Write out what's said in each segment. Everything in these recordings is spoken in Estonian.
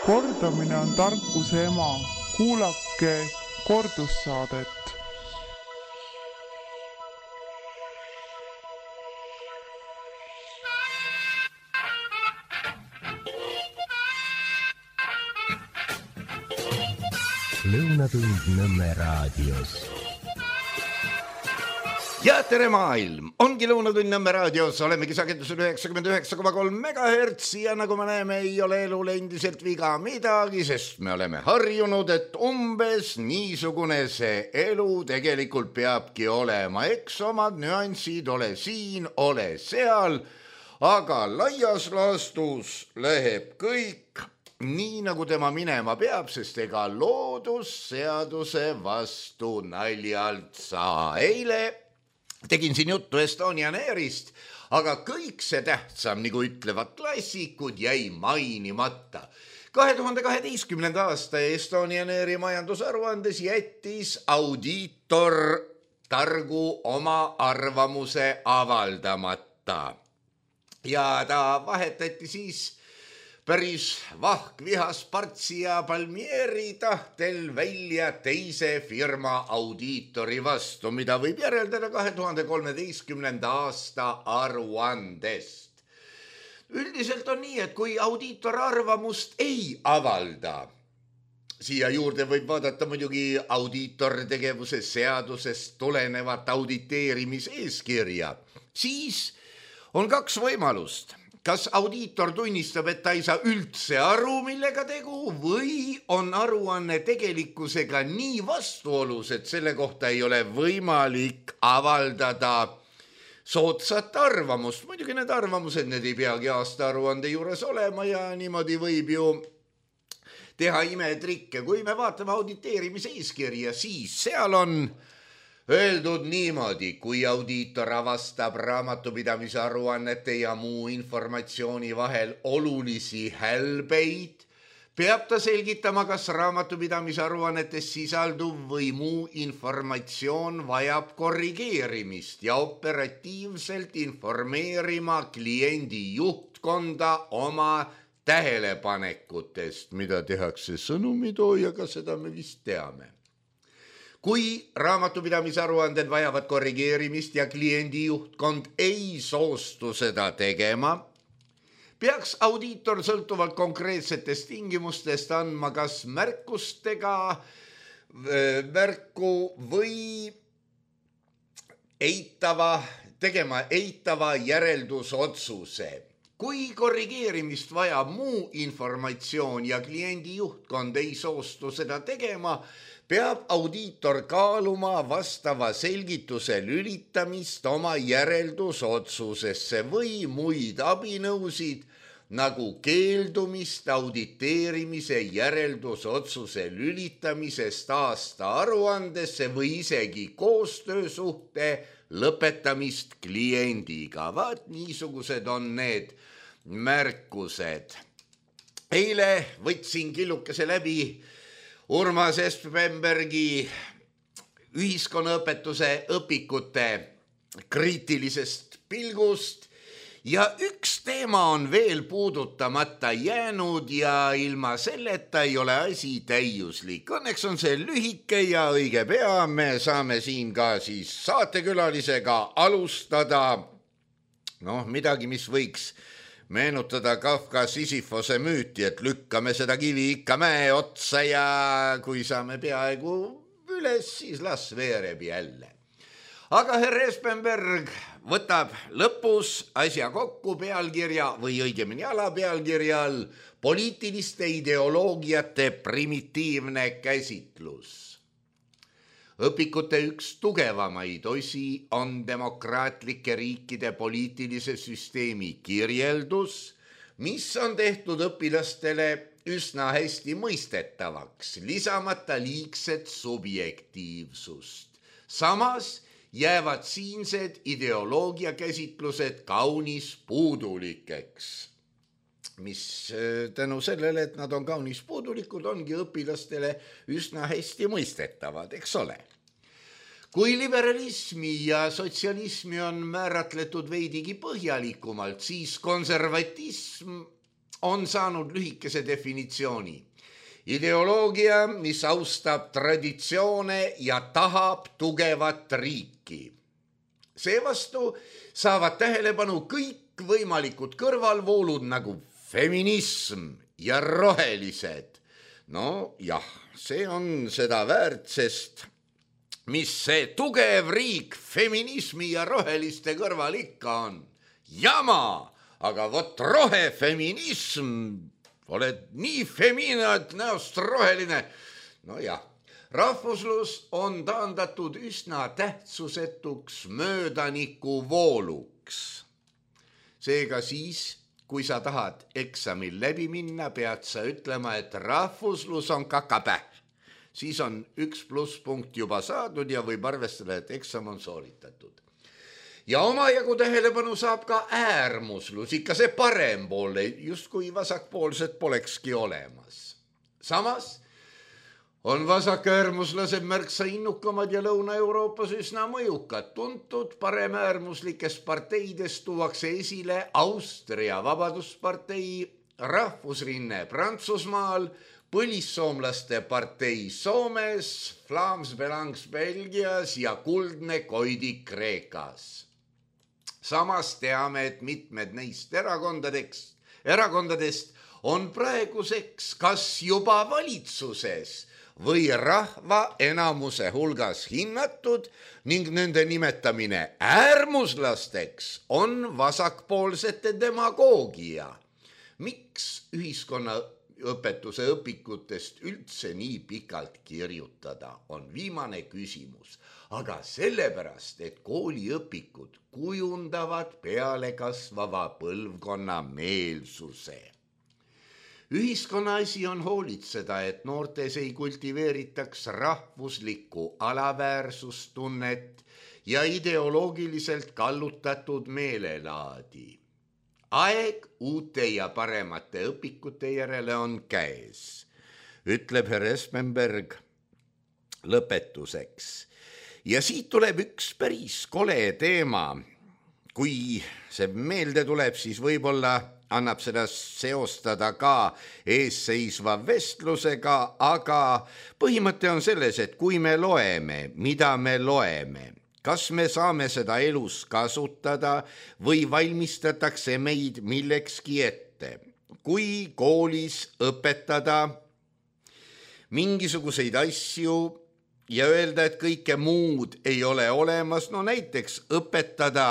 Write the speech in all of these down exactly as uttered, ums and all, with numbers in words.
Kordamine on tarkuse ema. Kuulake kordussaadet. Lõunatund Nõmme raadios. Ja tere maailm! Ongi Lõunatund Nõmme raadios, olemegi sagedusel üheksakümmend üheksa koma kolm megahertsi ja nagu me näeme, ei ole elul endiselt viga midagi, sest me oleme harjunud, et umbes niisugune see elu tegelikult peabki olema. Eks omad nüansid, ole siin, ole seal, aga laias laastus läheb kõik nii nagu tema minema peab, sest ega loodusseaduse vastu naljalt saa. Eile tegin siin juttu Estonian Airist, aga kõik see tähtsam, nagu ütlevad klassikud, jäi mainimata. kahe tuhande kaheteistkümnenda aasta Estonian Airi majandusaruandes jättis audiitor targu oma arvamuse avaldamata. Ja ta vahetati siis päris vahkvihas Partsi ja Palmieri tahtel välja teise firma audiitori vastu, mida võib järeldada kahe tuhande kolmeteistkümnenda aasta aruandest. Üldiselt on nii, et kui audiitor arvamust ei avalda, siia juurde võib vaadata muidugi audiitor tegevuse seadusest tulenevat auditeerimiseeskirja, siis on kaks võimalust. Kas audiitor tunnistab, et ta ei saa üldse aru, millega tegu, või on aruanne tegelikkusega nii vastuolus, et selle kohta ei ole võimalik avaldada soodsat arvamust. Muidugi need arvamused, need ei peagi aasta aruande juures olema ja niimoodi võib ju teha imetrikke. Kui me vaatame auditeerimise eeskirja, siis seal on öeldud niimoodi, kui audiitor avastab raamatupidamise aruannete ja muu informatsiooni vahel olulisi hälbeid, peab ta selgitama, kas raamatupidamise aruannetes sisalduv või muu informatsioon vajab korrigeerimist ja operatiivselt informeerima kliendi juhtkonda oma tähelepanekutest, mida tehakse sõnumitoojaga, seda me vist teame. Kui raamatupidamise aruanded vajavad korrigeerimist ja kliendi juhtkond ei soostu seda tegema, peaks audiitor sõltuvalt konkreetsetest tingimustest andma kas märkustega märku või eitava, tegema eitava järeldusotsuse. Kui korrigeerimist vajab muu informatsioon ja kliendi juhtkond ei soostu seda tegema, peab audiitor kaaluma vastava selgituse lülitamist oma järeldusotsusesse või muid abinõusid, nagu keeldumist auditeerimise järeldusotsuse lülitamisest aasta aruandesse või isegi koostöösuhte lõpetamist kliendiga. Vaat niisugused on need märkused. Eile võtsin killukese läbi Urmas Espenbergi ühiskonnaõpetuse õpikute kriitilisest pilgust ja üks teema on veel puudutamata jäänud ja ilma selleta ei ole asi täiuslik. Õnneks on see lühike ja õige pea, me saame siin ka siis saatekülalisega alustada noh, midagi, mis võiks meenutada Kafka Sisyfose müüti, et lükkame seda kivi ikka mäe otsa ja kui saame peaaegu üles, siis las veereb jälle. Aga herr Espenberg võtab lõpus asja kokku pealkirja või õigemini alapealkirjal poliitiliste ideoloogiate primitiivne käsitlus. Õpikute üks tugevamaid osi on demokraatlike riikide poliitilise süsteemi kirjeldus, mis on tehtud õpilastele üsna hästi mõistetavaks, lisamata liigset subjektiivsust. Samas jäävad siinsed ideoloogia käsitlused kaunis puudulikeks, mis tänu sellele, et nad on kaunis puudulikud, ongi õpilastele üsna hästi mõistetavad, eks ole. Kui liberalismi ja sotsialismi on määratletud veidigi põhjalikumalt, siis konservatism on saanud lühikese definitsiooni. Ideoloogia, mis austab traditsioone ja tahab tugevat riiki. Seevastu saavad tähelepanu kõik võimalikud kõrvalvoolud nagu feminism ja rohelised. No jah, see on seda väärt, sest mis see tugev riik feminismi ja roheliste kõrval ikka on? Jama, aga vot rohefeminism, oled nii feminaat näost roheline. No jah, rahvuslus on taandatud üsna tähtsusetuks möödaniku vooluks. Seega siis, kui sa tahad eksamil läbi minna, pead sa ütlema, et rahvuslus on kakapäh. Siis on üks pluss punkt juba saadud ja võib arvestada, et eksam on sooritatud. Ja omajagu tähelepanu saab ka äärmuslus, ikka see parempoolne, just kui vasakpoolsed polekski olemas. Samas on vasakäärmuslased märksa innukamad ja Lõuna-Euroopas üsna mõjukad. Tuntud paremäärmuslikest parteidest tuuakse esile Austria Vabaduspartei, Rahvusrinne Prantsusmaal, Põlissoomlaste partei Soomes, Vlaams Belangs Belgias ja Kuldne Koidi Kreekas. Samas teame, et mitmed neist erakondadest, erakondadest on praeguseks kas juba valitsuses või rahva enamuse hulgas hinnatud ning nende nimetamine äärmuslasteks on vasakpoolsete demagoogia. Miks ühiskonna õpetuse õpikutest üldse nii pikalt kirjutada, on viimane küsimus. Aga sellepärast, et kooliõpikud kujundavad peale kasvava põlvkonna meelsuse. Ühiskonna asi on hoolitseda, et noortes ei kultiveeritaks rahvuslikku alaväärsustunnet ja ideoloogiliselt kallutatud meelelaadi. Aeg uute ja paremate õpikute järele on käes, ütleb herr Espenberg lõpetuseks. Ja siit tuleb üks päris kole teema. Kui see meelde tuleb, siis võib-olla annab seda seostada ka eesseisva vestlusega, aga põhimõte on selles, et kui me loeme, mida me loeme, kas me saame seda elus kasutada või valmistatakse meid millekski ette. Kui koolis õpetada mingisuguseid asju ja öelda, et kõike muud ei ole olemas, no näiteks õpetada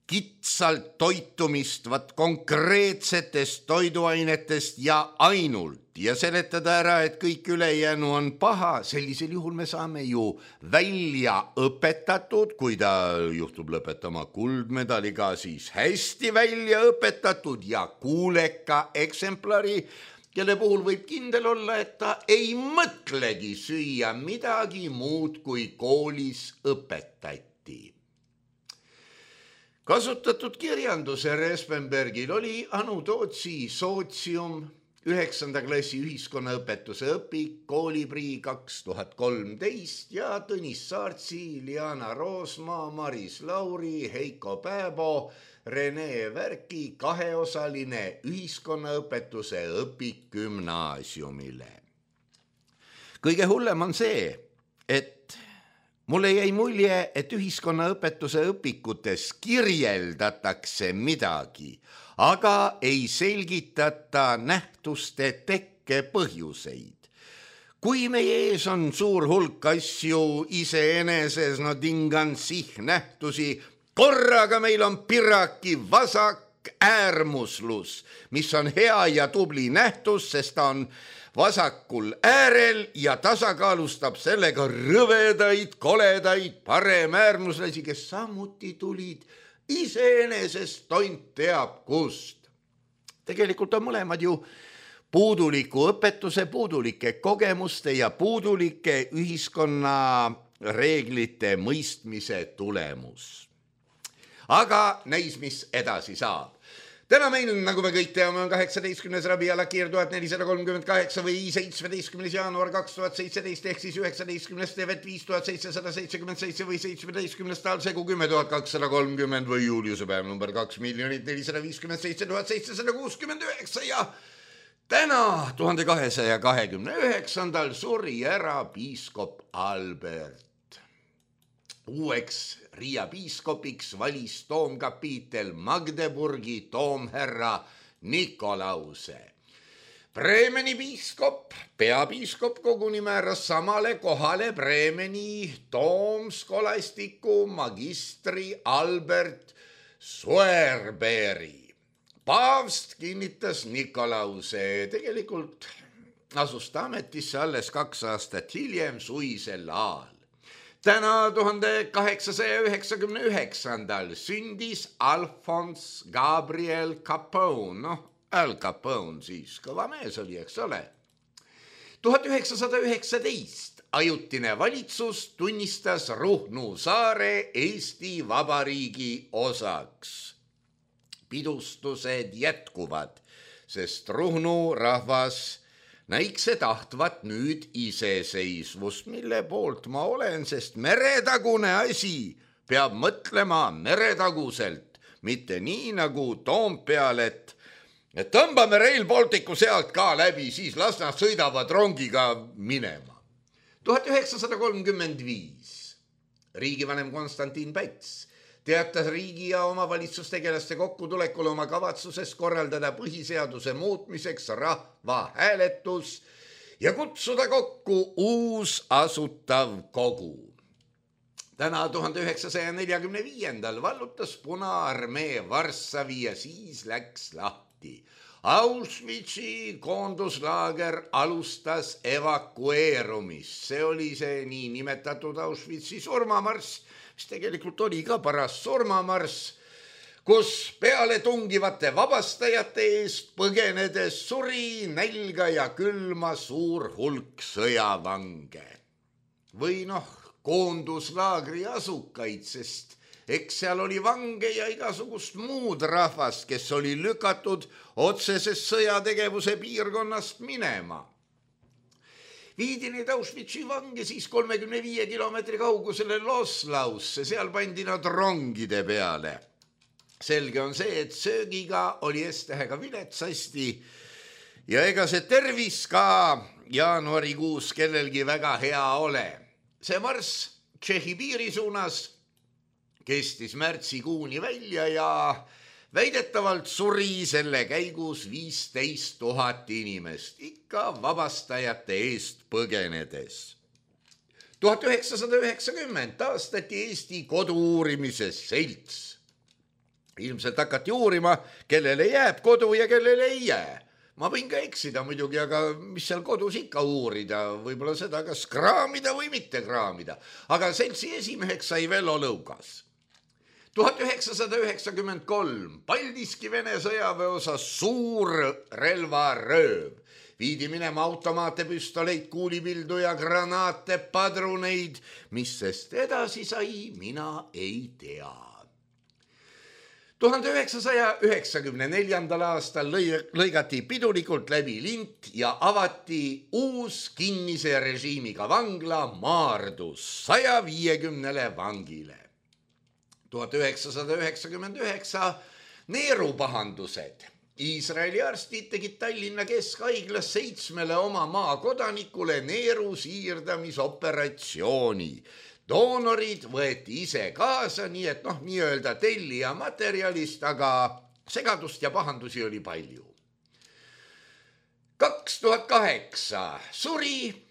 kitsalt toitumist vat konkreetsetest toiduainetest ja ainult ja seletada ära, et kõik ülejäänu on paha, sellisel juhul me saame ju välja õpetatud, kui ta juhtub lõpetama kuldmedaliga, siis hästi välja õpetatud ja kuuleka eksemplari, kelle puhul võib kindel olla, et ta ei mõtlegi süüa midagi muud, kui koolis õpetati. Kasutatud kirjandus herr Espenbergil oli Anu Tootsi Sootsium, üheksanda klassi ühiskonnaõpetuse õpik, kooliprii kaks tuhat kolmteist ja Tõnis Saartsi, Liana Roosmaa, Maris Lauri, Heiko Pääbo, Rene Värki kaheosaline ühiskonnaõpetuse õpik gümnaasiumile. Kõige hullem on see, et mulle jäi mulje, et ühiskonnaõpetuse õpikutes kirjeldatakse midagi, aga ei selgitata nähtuste tekke põhjuseid. Kui meie ees on suur hulk asju iseeneses, no tingan sih nähtusi, korraga meil on piraki vasak äärmuslus, mis on hea ja tubli nähtus, sest ta on vasakul äärel ja tasakaalustab sellega rõvedaid, koledaid paremäärmuslasi, kes samuti tulid iseenesest tont teab kust. Tegelikult on mõlemad ju puuduliku õpetuse, puudulike kogemuste ja puudulike ühiskonna reeglite mõistmise tulemus. Aga näis, mis edasi saab. täna meil, nagu me kõik teame, on kaheksateistkümnes Rabi Alakir tuhat nelisada kolmkümmend kaheksa või seitsmeteistkümnes jaanuar kaks tuhat seitseteist ehk siis üheksateistkümnes Tevet viis tuhat seitsesada seitsekümmend seitse või seitsmeteistkümnes Talsegu kümme tuhat kakssada kolmkümmend või Juliuse päev number kaks miljonit nelisada viiskümmend seitse tuhat seitsesada kuuskümmend üheksa ja täna tuhande kahesaja kahekümne üheksandal suri ära piiskop Albert. Uueks Riia piiskopiks valis toomkapiitel Magdeburgi toomherra Nikolause. Bremeni piiskop, peapiiskop koguni määras samale kohale Bremeni toomskolastiku magistri Albert Suerbeeri. Paavst kinnitas Nikolause, tegelikult asus ta ametisse alles kaks aastat hiljem suisel aal. Täna tuhande kaheksasaja üheksakümne üheksandal sündis Alphonse Gabriel Capone, noh, Al Capone siis, kõva mees oli, eks ole. tuhat üheksasada üheksateist ajutine valitsus tunnistas Ruhnu saare Eesti Vabariigi osaks. Pidustused jätkuvad, sest Ruhnu rahvas näikse tahtvat nüüd iseseisvust, mille poolt ma olen, sest meretagune asi peab mõtlema meretaguselt, mitte nii nagu Toompeal, et, et tõmbame Rail Balticu sealt ka läbi, siis las nad sõidavad rongiga minema. tuhat üheksasada kolmkümmend viis riigivanem Konstantin Päts teatas riigi ja omavalitsustegelaste kokkutulekul oma kavatsusest korraldada põhiseaduse muutmiseks rahvahääletus ja kutsuda kokku uus asutav kogu. Täna tuhande üheksasaja neljakümne viiendal vallutas Punaarmee Varssavi ja siis läks lahti. Auschwitzi koonduslaager alustas evakueerumist. See oli see nii nimetatud Auschwitzi surmamarss, mis tegelikult oli ka paras surmamarss, kus peale tungivate vabastajate eest põgenedes suri nälga ja külma suur hulk sõjavange. Või noh, koonduslaagri asukaid, sest eks seal oli vange ja igasugust muud rahvast, kes oli lükatud otsesest sõjategevuse piirkonnast minema. Viidi neid Auschwitzi vange siis kolmekümne viie kilomeetri kaugusele Loslausse, seal pandi nad rongide peale. Selge on see, et söögiga oli S-tähega viletsasti ja ega see tervis ka jaanuarikuus kellelgi väga hea ole. See marss Tšehhi piiri suunas kestis märtsikuuni välja ja väidetavalt suri selle käigus viisteist tuhat inimest, ikka vabastajate eest põgenedes. tuhat üheksasada üheksakümmend taastati Eesti kodu-uurimise selts. Ilmselt hakati uurima, kellele jääb kodu ja kellele ei jää. Ma võin ka eksida muidugi, aga mis seal kodus ikka uurida, võib-olla seda kas kraamida või mitte kraamida. Aga seltsi esimeheks sai Vello Lõugas. tuhat üheksasada üheksakümmend kolm Paldiski Vene sõjaväeosa suur relvarööv. Viidi minema automaate, püstoleit, kuulipildu ja granaate, padruneid, mis sest edasi sai, mina ei tea. tuhande üheksasaja üheksakümne neljandal aastal lõigati pidulikult läbi lint ja avati uus kinnise režiimiga vangla Maardus saja viiekümnele vangile. tuhat üheksasada üheksakümmend üheksa neerupahandused. Iisraeli arstid tegid Tallinna Keskhaiglas seitsmele oma maakodanikule neeru siirdamisoperatsiooni. Doonorid võeti ise kaasa, nii et noh, nii-öelda tellija materjalist, aga segadust ja pahandusi oli palju. kaks tuhat kaheksa suri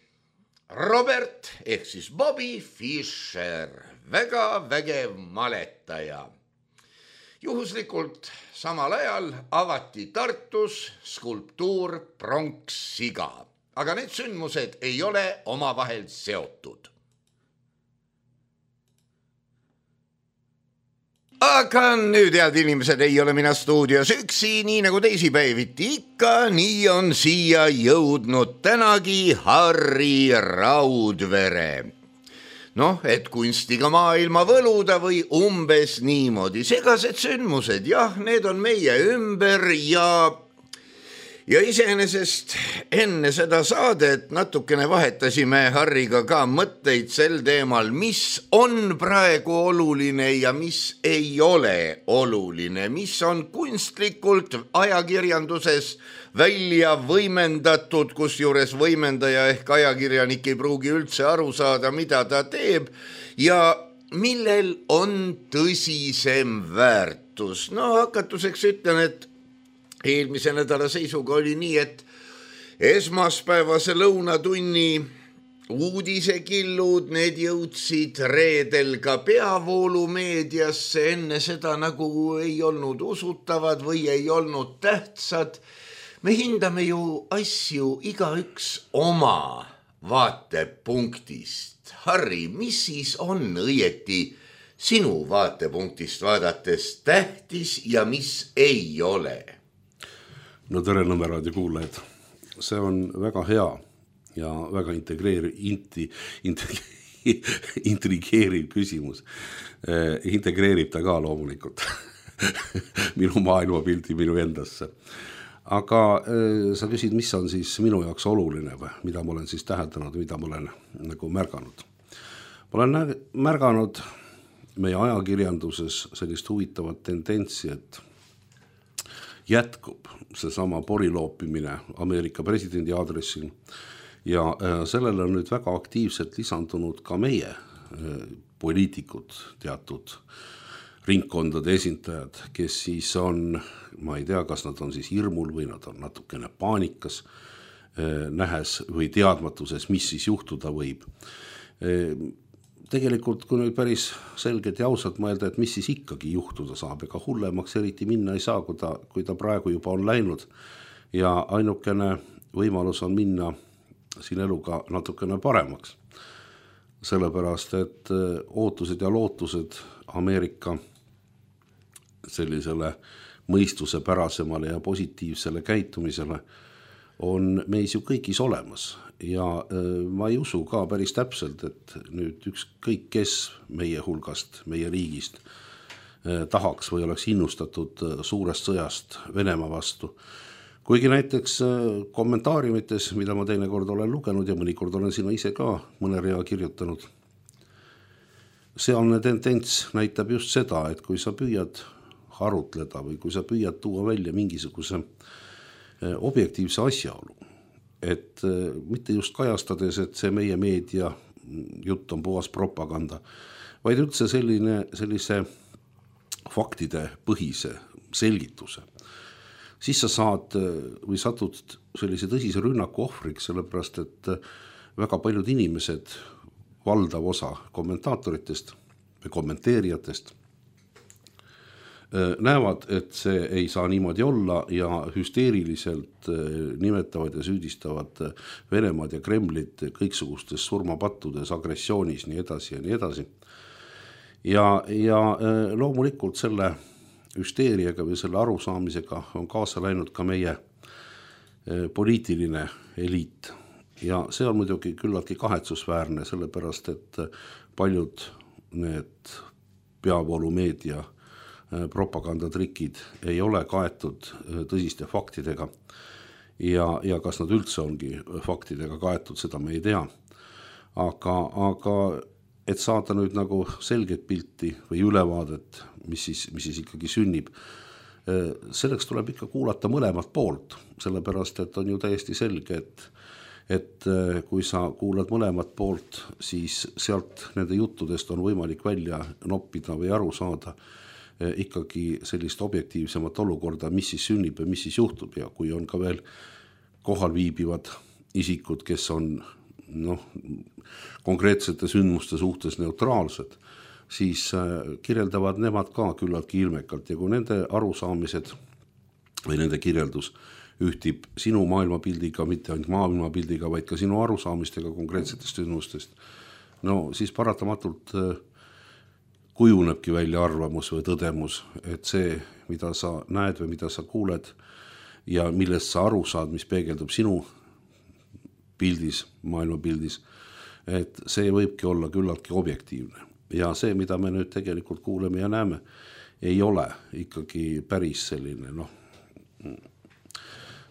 Robert ehk siis Bobby Fischer, väga vägev maletaja. Juhuslikult samal ajal avati Tartus skulptuur Pronkssiga, aga need sündmused ei ole omavahel seotud. Aga nüüd, head inimesed, ei ole mina stuudios üksi, nii nagu teisipäeviti ikka, nii on siia jõudnud tänagi Harri Raudvere. noh, et kunstiga maailma võluda või umbes niimoodi. Segased sündmused, jah, need on meie ümber ja, ja iseenesest enne seda saadet natukene vahetasime Harriga ka mõtteid sel teemal, mis on praegu oluline ja mis ei ole oluline, mis on kunstlikult ajakirjanduses välja võimendatud, kus juures võimendaja ehk ajakirjanik ei pruugi üldse aru saada, mida ta teeb ja millel on tõsisem väärtus. No hakatuseks ütlen, et eelmise nädala seisuga oli nii, et esmaspäevase lõunatunni uudisekillud, need jõudsid reedel ka peavoolumeediasse, enne seda nagu ei olnud usutavad või ei olnud tähtsad. Me hindame ju asju igaüks oma vaatepunktist. Harri, mis siis on õieti sinu vaatepunktist vaadates tähtis ja mis ei ole? No tere Nõmme raadio kuulajad. See on väga hea ja väga integreeriv, inti, inti, intrigeeriv küsimus. Eh, integreerib ta ka loomulikult minu maailmapildi minu endasse. Aga äh, sa küsid, mis on siis minu jaoks oluline või mida ma olen siis täheldanud, mida ma olen nagu märganud. Ma olen nä- märganud meie ajakirjanduses sellist huvitavat tendentsi, et jätkub seesama poriloopimine Ameerika presidendi aadressil ja äh, sellele on nüüd väga aktiivselt lisandunud ka meie äh, poliitikud, teatud ringkondade esindajad, kes siis on, ma ei tea, kas nad on siis hirmul või nad on natukene paanikas, nähes või teadmatuses, mis siis juhtuda võib. Tegelikult, kui nüüd päris selgelt ja ausalt mõelda, et mis siis ikkagi juhtuda saab, ega hullemaks eriti minna ei saa, kui ta, kui ta praegu juba on läinud. Ja ainukene võimalus on minna siin eluga natukene paremaks. Sellepärast, et ootused ja lootused Ameerika sellisele mõistuse pärasemale ja positiivsele käitumisele on meis ju kõigis olemas ja ma ei usu ka päris täpselt, et nüüd ükskõik kes meie hulgast, meie riigist tahaks või oleks innustatud suurest sõjast Venemaa vastu. Kuigi näiteks kommentaariumites, mida ma teinekord olen lugenud ja mõnikord olen sinna ise ka mõne rea kirjutanud, sealne tendents näitab just seda, et kui sa püüad arutleda või kui sa püüad tuua välja mingisuguse objektiivse asjaolu, et mitte just kajastades, et see meie meedia jutt on puhas propaganda, vaid üldse selline, sellise faktide põhise selgituse, siis sa saad või satud sellise tõsise rünnaku ohvriks, sellepärast et väga paljud inimesed, valdav osa kommentaatoritest või kommenteerijatest näevad, et see ei saa niimoodi olla ja hüsteeriliselt nimetavad ja süüdistavad Venemaad ja Kremlit kõiksugustes surmapattudes, agressioonis, nii edasi ja nii edasi. Ja, ja loomulikult selle hüsteeriaga või selle arusaamisega on kaasa läinud ka meie poliitiline eliit. Ja see on muidugi küllaltki kahetsusväärne, sellepärast, et paljud need peavoolumeedia propagandatrikid ei ole kaetud tõsiste faktidega ja, ja kas nad üldse ongi faktidega kaetud, seda me ei tea. Aga, aga et saada nüüd nagu selget pilti või ülevaadet, mis siis, mis siis ikkagi sünnib, selleks tuleb ikka kuulata mõlemat poolt, sellepärast, et on ju täiesti selge, et et kui sa kuulad mõlemat poolt, siis sealt nende juttudest on võimalik välja noppida või aru saada ikkagi sellist objektiivsemat olukorda, mis siis sünnib ja mis siis juhtub ja kui on ka veel kohal viibivad isikud, kes on noh, konkreetsete sündmuste suhtes neutraalsed, siis kirjeldavad nemad ka küllaltki ilmekalt ja kui nende arusaamised või nende kirjeldus ühtib sinu maailmapildiga, mitte ainult maailmapildiga, vaid ka sinu arusaamistega konkreetsetest sündmustest, no siis paratamatult kujunebki välja arvamus või tõdemus, et see, mida sa näed või mida sa kuuled ja millest sa aru saad, mis peegeldub sinu pildis, maailmapildis, et see võibki olla küllaltki objektiivne. Ja see, mida me nüüd tegelikult kuuleme ja näeme, ei ole ikkagi päris selline, noh,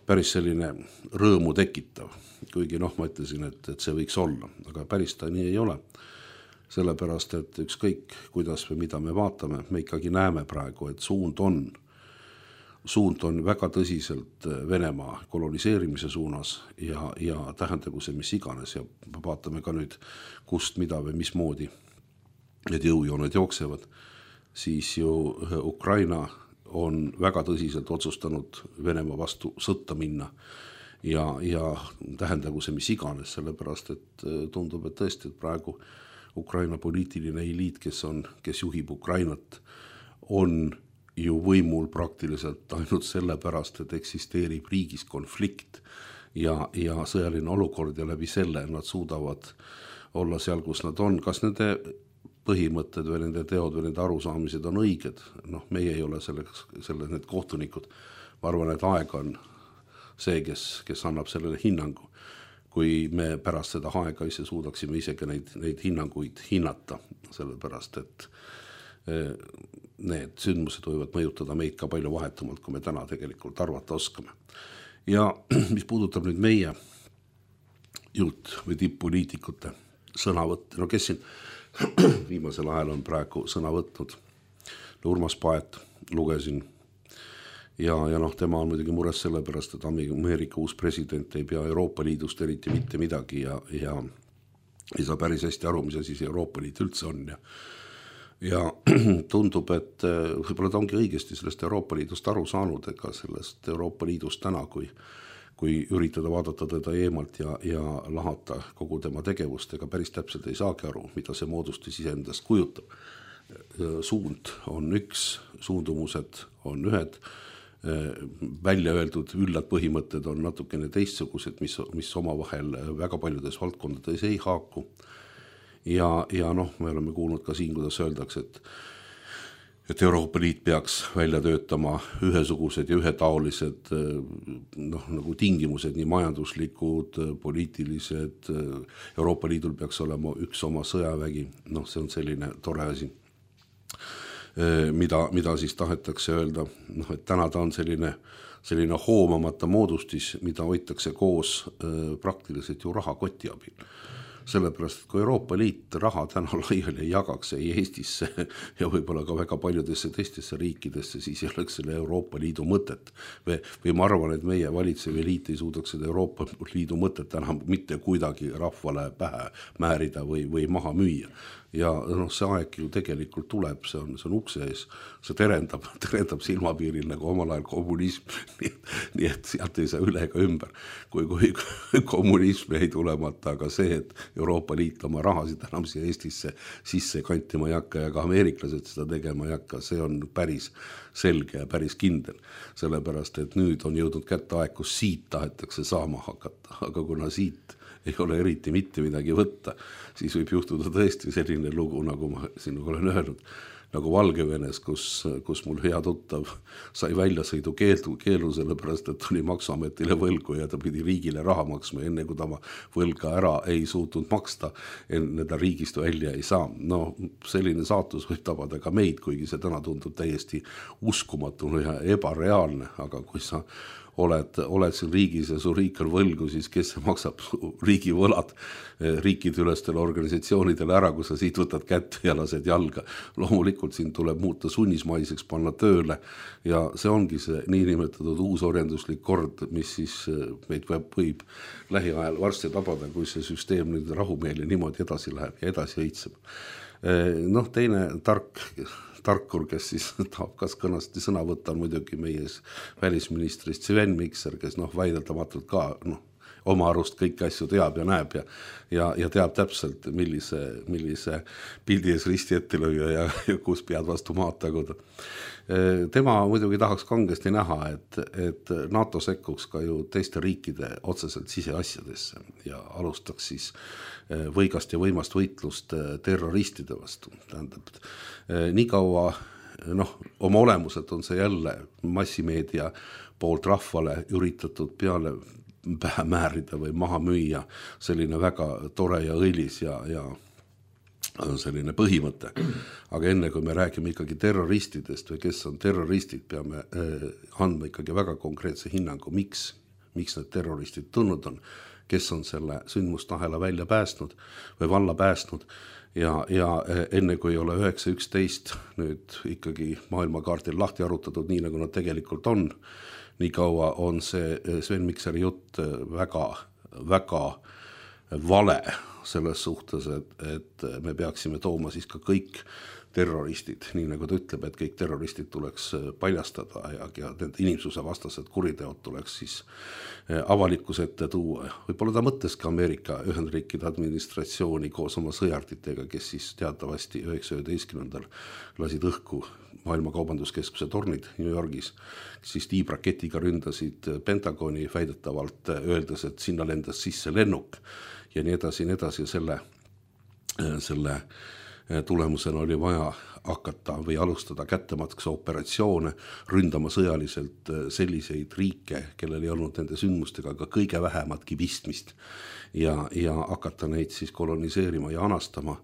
päris selline rõõmu tekitav. Kuigi noh, ma ütlesin, et, et see võiks olla, aga päris ta nii ei ole. Sellepärast, et ükskõik, kuidas või mida me vaatame, me ikkagi näeme praegu, et suund on, suund on väga tõsiselt Venemaa koloniseerimise suunas ja, ja tähendagu see mis iganes ja vaatame ka nüüd, kust, mida või mismoodi need jõujooned jooksevad, siis ju Ukraina on väga tõsiselt otsustanud Venemaa vastu sõtta minna ja, ja tähendagu see mis iganes, sellepärast, et tundub, et tõesti, et praegu Ukraina poliitiline eliit, kes on, kes juhib Ukrainat, on ju võimul praktiliselt ainult sellepärast, et eksisteerib riigis konflikt ja, ja sõjaline olukord ja läbi selle nad suudavad olla seal, kus nad on. Kas nende põhimõtted või nende teod või nende arusaamised on õiged? Noh, meie ei ole selleks, selle, need kohtunikud. Ma arvan, et aeg on see, kes, kes annab sellele hinnangu. Kui me pärast seda aega ise suudaksime isegi neid, neid hinnanguid hinnata, sellepärast, et need sündmused võivad mõjutada meid ka palju vahetumalt, kui me täna tegelikult arvata oskame. Ja mis puudutab nüüd meie juht või tipp-poliitikute sõnavõtt, no kes siin viimasel ajal on praegu sõna võtnud, Urmas Paet lugesin, ja, ja noh, tema on muidugi mures sellepärast, et Ameerika uus president ei pea Euroopa Liidust eriti mitte midagi ja, ja ei saa päris hästi aru, mis asi see Euroopa Liit üldse on. Ja, ja tundub, et võib-olla ta ongi õigesti sellest Euroopa Liidust aru saanud, ega sellest Euroopa Liidust täna, kui, kui üritada vaadata teda eemalt ja, ja lahata kogu tema tegevust, ega päris täpselt ei saagi aru, mida see moodustis iseendast kujutab. Suund on üks, suundumused on ühed, välja öeldud üllad põhimõtted on natukene teistsugused, mis, mis omavahel väga paljudes valdkondades ei haaku. Ja, ja noh, me oleme kuulnud ka siin, kuidas öeldakse, et, et Euroopa Liit peaks välja töötama ühesugused ja ühetaolised noh, nagu tingimused, nii majanduslikud, poliitilised. Euroopa Liidul peaks olema üks oma sõjavägi, noh, see on selline tore asi. Mida, mida siis tahetakse öelda, noh, et täna ta on selline, selline hoomamata moodustis, mida hoitakse koos praktiliselt ju rahakoti abil. Sellepärast, et kui Euroopa Liit raha täna laiali ei jagaks ei Eestisse ja võib-olla ka väga paljudesse teistesse riikidesse, siis ei oleks selle Euroopa Liidu mõtet. Või, või ma arvan, et meie valitsev eliit ei suudaks seda Euroopa Liidu mõtet enam mitte kuidagi rahvale pähe määrida või, või maha müüa. Ja noh, see aeg ju tegelikult tuleb, see on, see on ukse ees, see terendab, terendab silmapiiril nagu omal ajal kommunism, nii, nii et sealt ei saa üle ega ümber, kui, kui kommunism ei tulemata, aga see, et Euroopa Liit oma rahasid enam siia Eestisse sisse kantima ei hakka ja ka ameeriklased seda tegema ei hakka, see on päris selge ja päris kindel, sellepärast, et nüüd on jõudnud kätte aeg, kus siit tahetakse saama hakata, aga kuna siit ei ole eriti mitte midagi võtta, siis võib juhtuda tõesti selline lugu, nagu ma sinuga olen öelnud, nagu Valgevenes, kus, kus mul hea tuttav sai väljasõidu keelu, keelu sellepärast, et tuli maksuametile võlgu ja ta pidi riigile raha maksma, enne kui ta võlga ära ei suutnud maksta, enne ta riigist välja ei saa. No selline saatus võib tabada ka meid, kuigi see täna tundub täiesti uskumatu ja ebareaalne, aga kui sa oled, oled siin riigis ja su riik on võlgu, siis kes maksab riigi võlad riikide ülestele organisatsioonidele ära, kui sa siit võtad kätt ja lased jalga. Loomulikult siin tuleb muuta sunnismaiseks, panna tööle ja see ongi see niinimetatud uusorjenduslik kord, mis siis meid võib, võib lähiajal varsti tabada, kui see süsteem nüüd rahumeeli niimoodi edasi läheb ja edasi õitseb. Noh, teine tark tarkur, kes siis tahab kas kõnasti sõna võtta, on muidugi meie välisministrist Sven Mikser, kes noh, väideldamatult ka noh, oma arust kõiki asju teab ja näeb ja, ja, ja teab täpselt, millise, millise pildi ees risti ette lüüa ja, ja kus pead vastu maad taguda. Tema muidugi tahaks kangesti näha, et, et NATO sekkuks ka ju teiste riikide otseselt siseasjadesse ja alustaks siis võigast ja võimast võitlust terroristide vastu. Tähendab, nii kaua, noh, oma olemuselt on see jälle massimeedia poolt rahvale üritatud peale pähe määrida või maha müüa, selline väga tore ja õilis ja, ja selline põhimõte. Aga enne kui me räägime ikkagi terroristidest või kes on terroristid, peame andma ikkagi väga konkreetse hinnangu, miks, miks need terroristid tulnud on, kes on selle sündmustahela välja päästnud või valla päästnud ja, ja enne kui ei ole üheksa üksteist nüüd ikkagi maailmakaardil lahti arutatud nii, nagu nad tegelikult on, nii kaua on see Sven Mikseri jutt väga, väga vale selles suhtes, et, et me peaksime tooma siis ka kõik terroristid, nii nagu ta ütleb, et kõik terroristid tuleks paljastada ja, ja need inimsuse vastased kuriteod tuleks siis avalikkuse ette tuua. Võib-olla ta mõtles ka Ameerika Ühendriikide administratsiooni koos oma sõjarditega, kes siis teatavasti üheksasaja üheteistkümnendal lasid õhku maailma kaubanduskeskuse tornid New Yorgis, siis tiibraketiga ründasid Pentagoni väidetavalt, öeldes, et sinna lendas sisse lennuk ja nii edasi, nii edasi ja selle, selle tulemusena oli vaja hakata või alustada kättemaksa operatsioone, ründama sõjaliselt selliseid riike, kellel ei olnud nende sündmustega ka kõige vähematki pistmist ja, ja hakata neid siis koloniseerima ja anastama.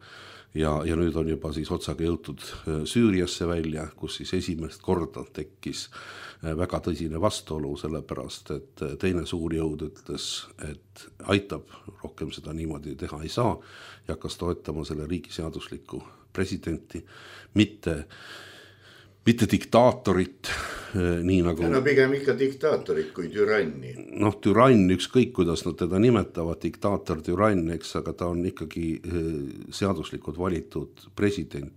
Ja, ja nüüd on juba siis otsaga jõutud Süüriasse välja, kus siis esimest korda tekkis väga tõsine vastuolu, sellepärast, et teine suur jõud ütles, et aitab, rohkem seda niimoodi teha ei saa ja hakkas toetama selle riigi seaduslikku presidenti, mitte, mitte diktaatorit, nii nagu... No pigem ikka diktaatorit kui türanni. Noh, türann, ükskõik kuidas nad teda nimetavad, diktaator, türann, eks, aga ta on ikkagi seaduslikult valitud president.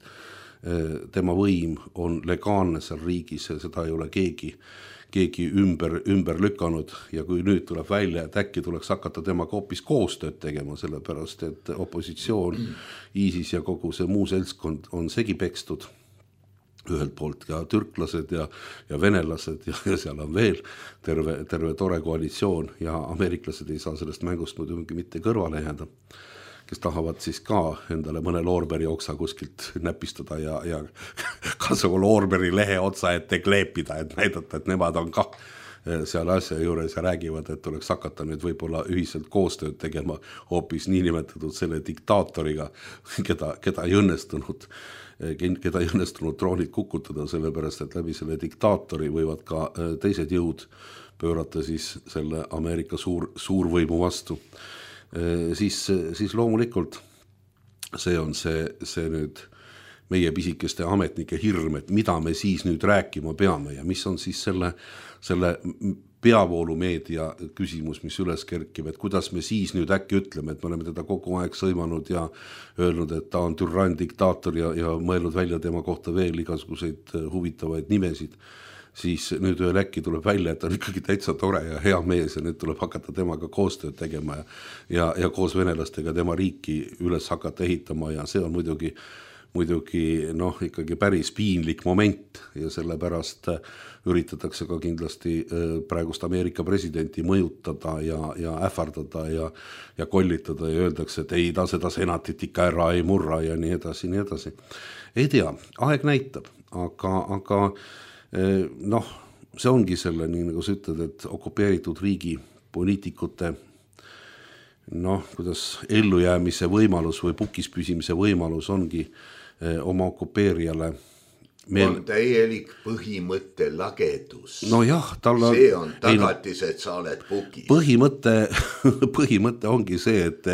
Tema võim on legaalne seal riigis ja seda ei ole keegi, keegi ümber, ümber lükanud ja kui nüüd tuleb välja, et äkki tuleks hakata temaga hoopis koostööd tegema, sellepärast et opositsioon, ISIS ja kogu see muu seltskond on segi pekstud ühelt poolt ja türklased ja, ja venelased ja, ja seal on veel terve, terve tore koalitsioon ja ameeriklased ei saa sellest mängust muidugi mitte kõrvale jääda, kes tahavad siis ka endale mõne loorberi oksa kuskilt näpistada ja, ja kasu loorberi lehe otsa ette kleepida, et näidata, et nemad on ka seal asja juures ja räägivad, et tuleks hakata nüüd võib-olla ühiselt koostööd tegema hoopis niinimetatud selle diktaatoriga, keda, keda ei õnnestunud, keda ei õnnestunud troonid kukutada, sellepärast, et läbi selle diktaatori võivad ka teised jõud pöörata siis selle Ameerika suur, suurvõimu vastu. Siis, siis loomulikult see on see, see nüüd meie pisikeste ametnike hirm, et mida me siis nüüd rääkima peame ja mis on siis selle, selle peavoolumeedia küsimus, mis üles kerkib, et kuidas me siis nüüd äkki ütleme, et me oleme teda kogu aeg sõimanud ja öelnud, et ta on türann, diktaator ja, ja mõelnud välja tema kohta veel igasuguseid huvitavaid nimesid, siis nüüd ühel äkki tuleb välja, et on ikkagi täitsa tore ja hea mees ja nüüd tuleb hakata temaga koostööd tegema ja, ja, ja koos venelastega tema riiki üles hakata ehitama ja see on muidugi muidugi noh, ikkagi päris piinlik moment ja sellepärast üritatakse ka kindlasti praegust Ameerika presidenti mõjutada ja, ja ähvardada ja, ja kollitada ja öeldakse, et ei ta seda senatit ikka ära ei murra ja nii edasi, nii edasi. Ei tea, aeg näitab, aga, aga noh, see ongi selle, nii nagu sa ütled, et okupeeritud riigi poliitikute noh, kuidas ellujäämise võimalus või pukis püsimise võimalus ongi oma okupeerijale meil... on täielik põhimõtte lagedus. No jah, tal on... see on tagatis, et sa oled pukis. Põhimõte, põhimõte ongi see, et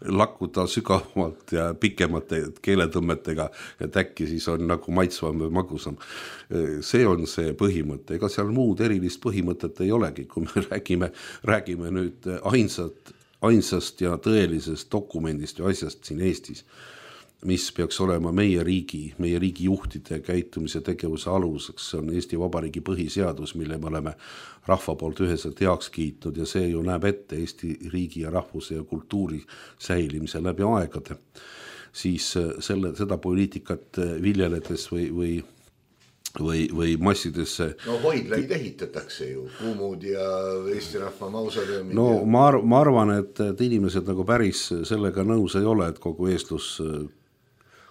lakkuda sügavamalt ja pikemate keeletõmmetega, et äkki siis on nagu maitsvam või magusam. See on see põhimõte. Ega seal muud erilist põhimõtet ei olegi, kui me räägime, räägime nüüd ainsat, ainsast ja tõelisest dokumendist ja asjast siin Eestis, mis peaks olema meie riigi, meie riigi juhtide käitumise tegevuse aluseks. See on Eesti Vabariigi põhiseadus, mille me oleme rahva poolt üheselt heaks kiitnud ja see ju näeb ette Eesti riigi ja rahvuse ja kultuuri säilimise läbi aegade. Siis selle, seda poliitikat viljeledes või, või, või, või massidesse... No hoidlaid ehitatakse ju, Kuumud ja Eesti Rahva mausoleumid. No ja... ma, arv, ma arvan, et, et inimesed nagu päris sellega nõus ei ole, et kogu eestlus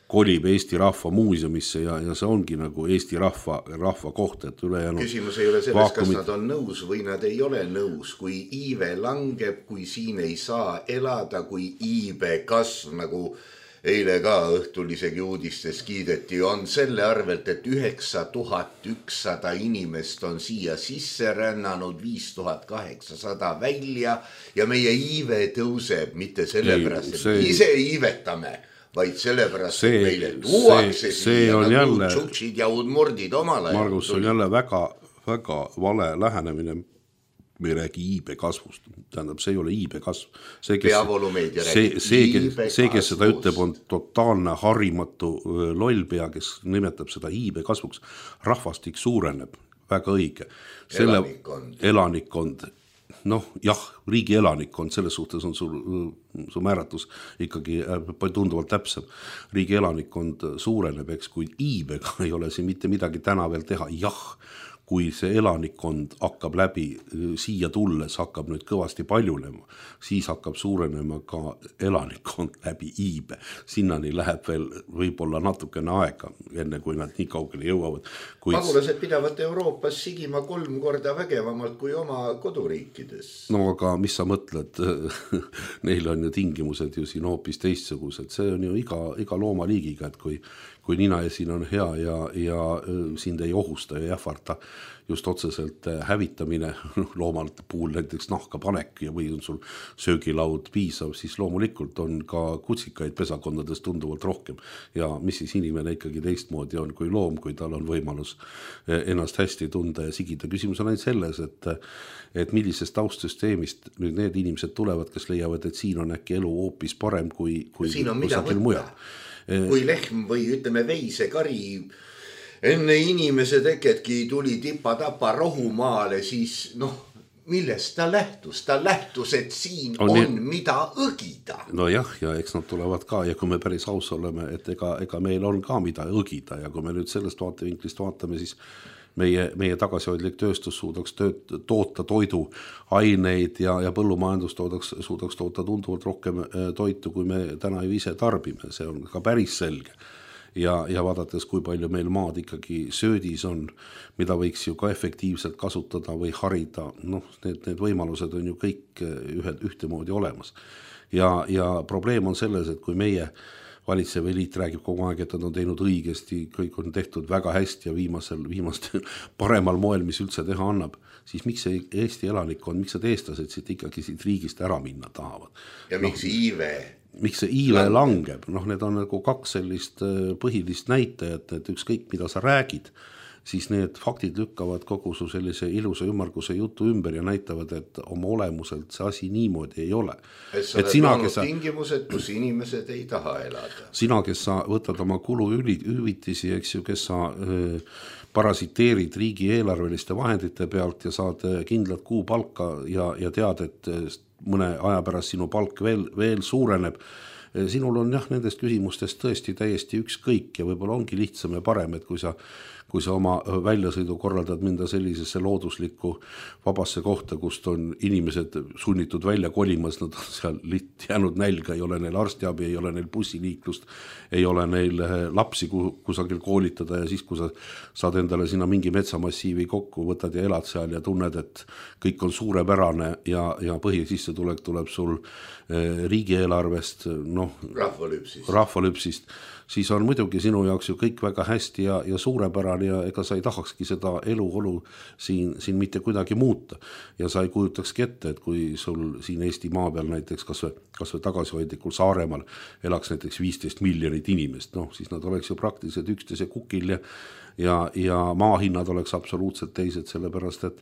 kolib Eesti Rahva muuseumisse ja, ja see ongi nagu Eesti rahva, rahva koht, et ülejäänud küsimus ei ole selles, vaakumid... kas nad on nõus või nad ei ole nõus, kui iive langeb, kui siin ei saa elada, kui iibe kasv, nagu eile ka õhtul isegi uudistes kiideti, on selle arvelt, et üheksa tuhat ükssada inimest on siia sisse rännanud, viis tuhat kaheksasada välja ja meie iive tõuseb mitte sellepärast, et see... ise iivetame, vaid sellepärast, see, et meile tuuakse siia nagu jälle... tšutšid ja udmordid omal ajal. Margus, see on jälle väga, väga vale lähenemine. Me ei räägi iibe kasvust, tähendab, see ei ole iibe kasv. See, kes, see, see, kes, see, kes seda ütleb, on totaalne harimatu lollpea, kes nimetab seda iibe kasvuks. Rahvastik suureneb, väga õige. Selle elanikkond. elanikkond, noh, jah, riigi elanikkond, selles suhtes on sul, su määratus ikkagi tunduvalt täpsem. Riigi elanikkond suureneb, eks, kuid iibega ei ole siin mitte midagi täna veel teha, jah, kui see elanikkond hakkab läbi siia tulles, hakkab nüüd kõvasti paljunema, siis hakkab suurenema ka elanikkond läbi iibe. Sinnani läheb veel võib-olla natukene aega, enne kui nad nii kaugele jõuavad. Kuid... Pagulased pidavad Euroopas sigima kolm korda vägevamalt kui oma koduriikides. No aga mis sa mõtled? Neil on ju tingimused ju siin hoopis teistsugused. See on ju iga, iga loomaliigiga, et kui kui nina ja siin on hea ja, ja sind ei ohusta ja jähvarta just otseselt hävitamine, loomalt puhul näiteks nahka panek ja või on sul söögilaud piisav, siis loomulikult on ka kutsikaid pesakondades tunduvalt rohkem. Ja mis siis inimene ikkagi teistmoodi on kui loom, kui tal on võimalus ennast hästi tunda ja sigida. Küsimus on ainult selles, et, et millisest taustsüsteemist nüüd need inimesed tulevad, kes leiavad, et siin on äkki elu hoopis parem kui, kui kusagil mujal. Kui lehm või ütleme veisekari enne inimese teketki tuli tipa-tapa rohumaale, siis noh, millest ta lähtus? Ta lähtus, et siin on, on ne... mida õgida. No jah, ja eks nad tulevad ka ja kui me päris aus oleme, et ega, ega meil on ka mida õgida ja kui me nüüd sellest vaatevinklist vaatame, siis meie, meie tagasihoidlik tööstus suudaks tööt, toota toidu aineid ja, ja põllumajandus toodaks, suudaks toota tunduvalt rohkem toitu, kui me täna ju ise tarbime. See on ka päris selge. Ja, ja vaadates, kui palju meil maad ikkagi söödis on, mida võiks ju ka efektiivselt kasutada või harida, noh, need, need võimalused on ju kõik ühed, ühtemoodi olemas. Ja, ja probleem on selles, et kui meie valitsev eliit räägib kogu aeg, et nad on teinud õigesti, kõik on tehtud väga hästi ja viimasel, viimastel paremal moel, mis üldse teha annab, siis miks see Eesti elanikond, miks see eestlased siit ikkagi siit riigist ära minna tahavad? Ja miks no, iive? Miks see iive langeb? Noh, need on nagu kaks sellist põhilist näitajat, et ükskõik mida sa räägid, siis need faktid lükkavad kogu su sellise ilusa ümmarguse jutu ümber ja näitavad, et oma olemuselt see asi niimoodi ei ole. Et sa oled loonud sa... tingimused, kus inimesed ei taha elada. Sina, kes sa võtad oma kulu hüvitisi, eks ju, kes sa äh, parasiteerid riigi eelarveliste vahendite pealt ja saad kindlat kuupalka ja, ja tead, et mõne aja pärast sinu palk veel, veel suureneb. Sinul on jah, nendest küsimustest tõesti täiesti ükskõik ja võib-olla ongi lihtsam ja parem, et kui sa kui sa oma väljasõidu korraldad minda sellisesse looduslikku vabasse kohta, kust on inimesed sunnitud välja kolimas, nad on seal litt jäänud nälga, ei ole neil arstiabi, ei ole neil bussiliiklust, ei ole neil lapsi kusagil koolitada ja siis, kui sa saad endale sinna mingi metsamassiivi kokku, võtad ja elad seal ja tunned, et kõik on suurepärane ja, ja põhisissetulek tuleb sul riigieelarvest, noh, rahvalüpsist. rahvalüpsist, siis on muidugi sinu jaoks ju kõik väga hästi ja, ja suurepärane ja ega sa ei tahakski seda eluolu siin, siin mitte kuidagi muuta. Ja sa ei kujutakski ette, et kui sul siin Eesti maa peal näiteks kas või, kas või tagasihoidlikul Saaremaal elaks näiteks viisteist miljonit inimest, noh, siis nad oleks ju praktiliselt üksteise kukil ja, ja, ja maahinnad oleks absoluutselt teised, sellepärast et,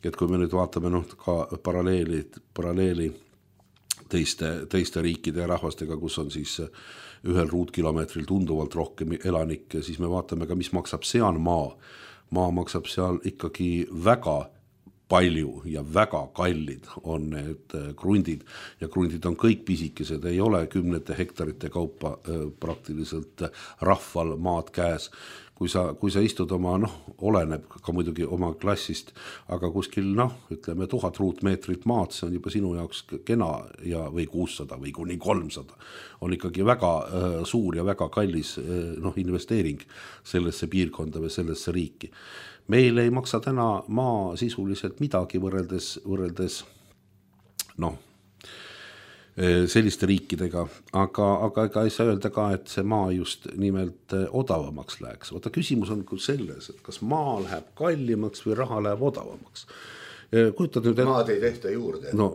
et kui me nüüd vaatame noh, ka paralleeli, paralleeli teiste, teiste riikide ja rahvastega, kus on siis ühel ruutkilomeetril tunduvalt rohkem elanikke, siis me vaatame ka, mis maksab seal maa. Maa maksab seal ikkagi väga palju ja väga kallid on need krundid ja krundid on kõik pisikesed, ei ole kümnete hektarite kaupa praktiliselt rahval maad käes. kui sa, kui sa istud oma, noh, oleneb ka muidugi oma klassist, aga kuskil, noh, ütleme tuhat ruutmeetrit maad, see on juba sinu jaoks kena ja, või kuussada või kuni kolmsada. On ikkagi väga äh, suur ja väga kallis äh, noh, investeering sellesse piirkonda või sellesse riiki. Meil ei maksa täna maa sisuliselt midagi võrreldes, võrreldes noh, selliste riikidega, aga, aga ega ei saa öelda ka, et see maa just nimelt odavamaks läheks. Vaata, küsimus on küll selles, et kas maa läheb kallimaks või raha läheb odavamaks. Kujutad nüüd, et... Maad ei tehta juurde. No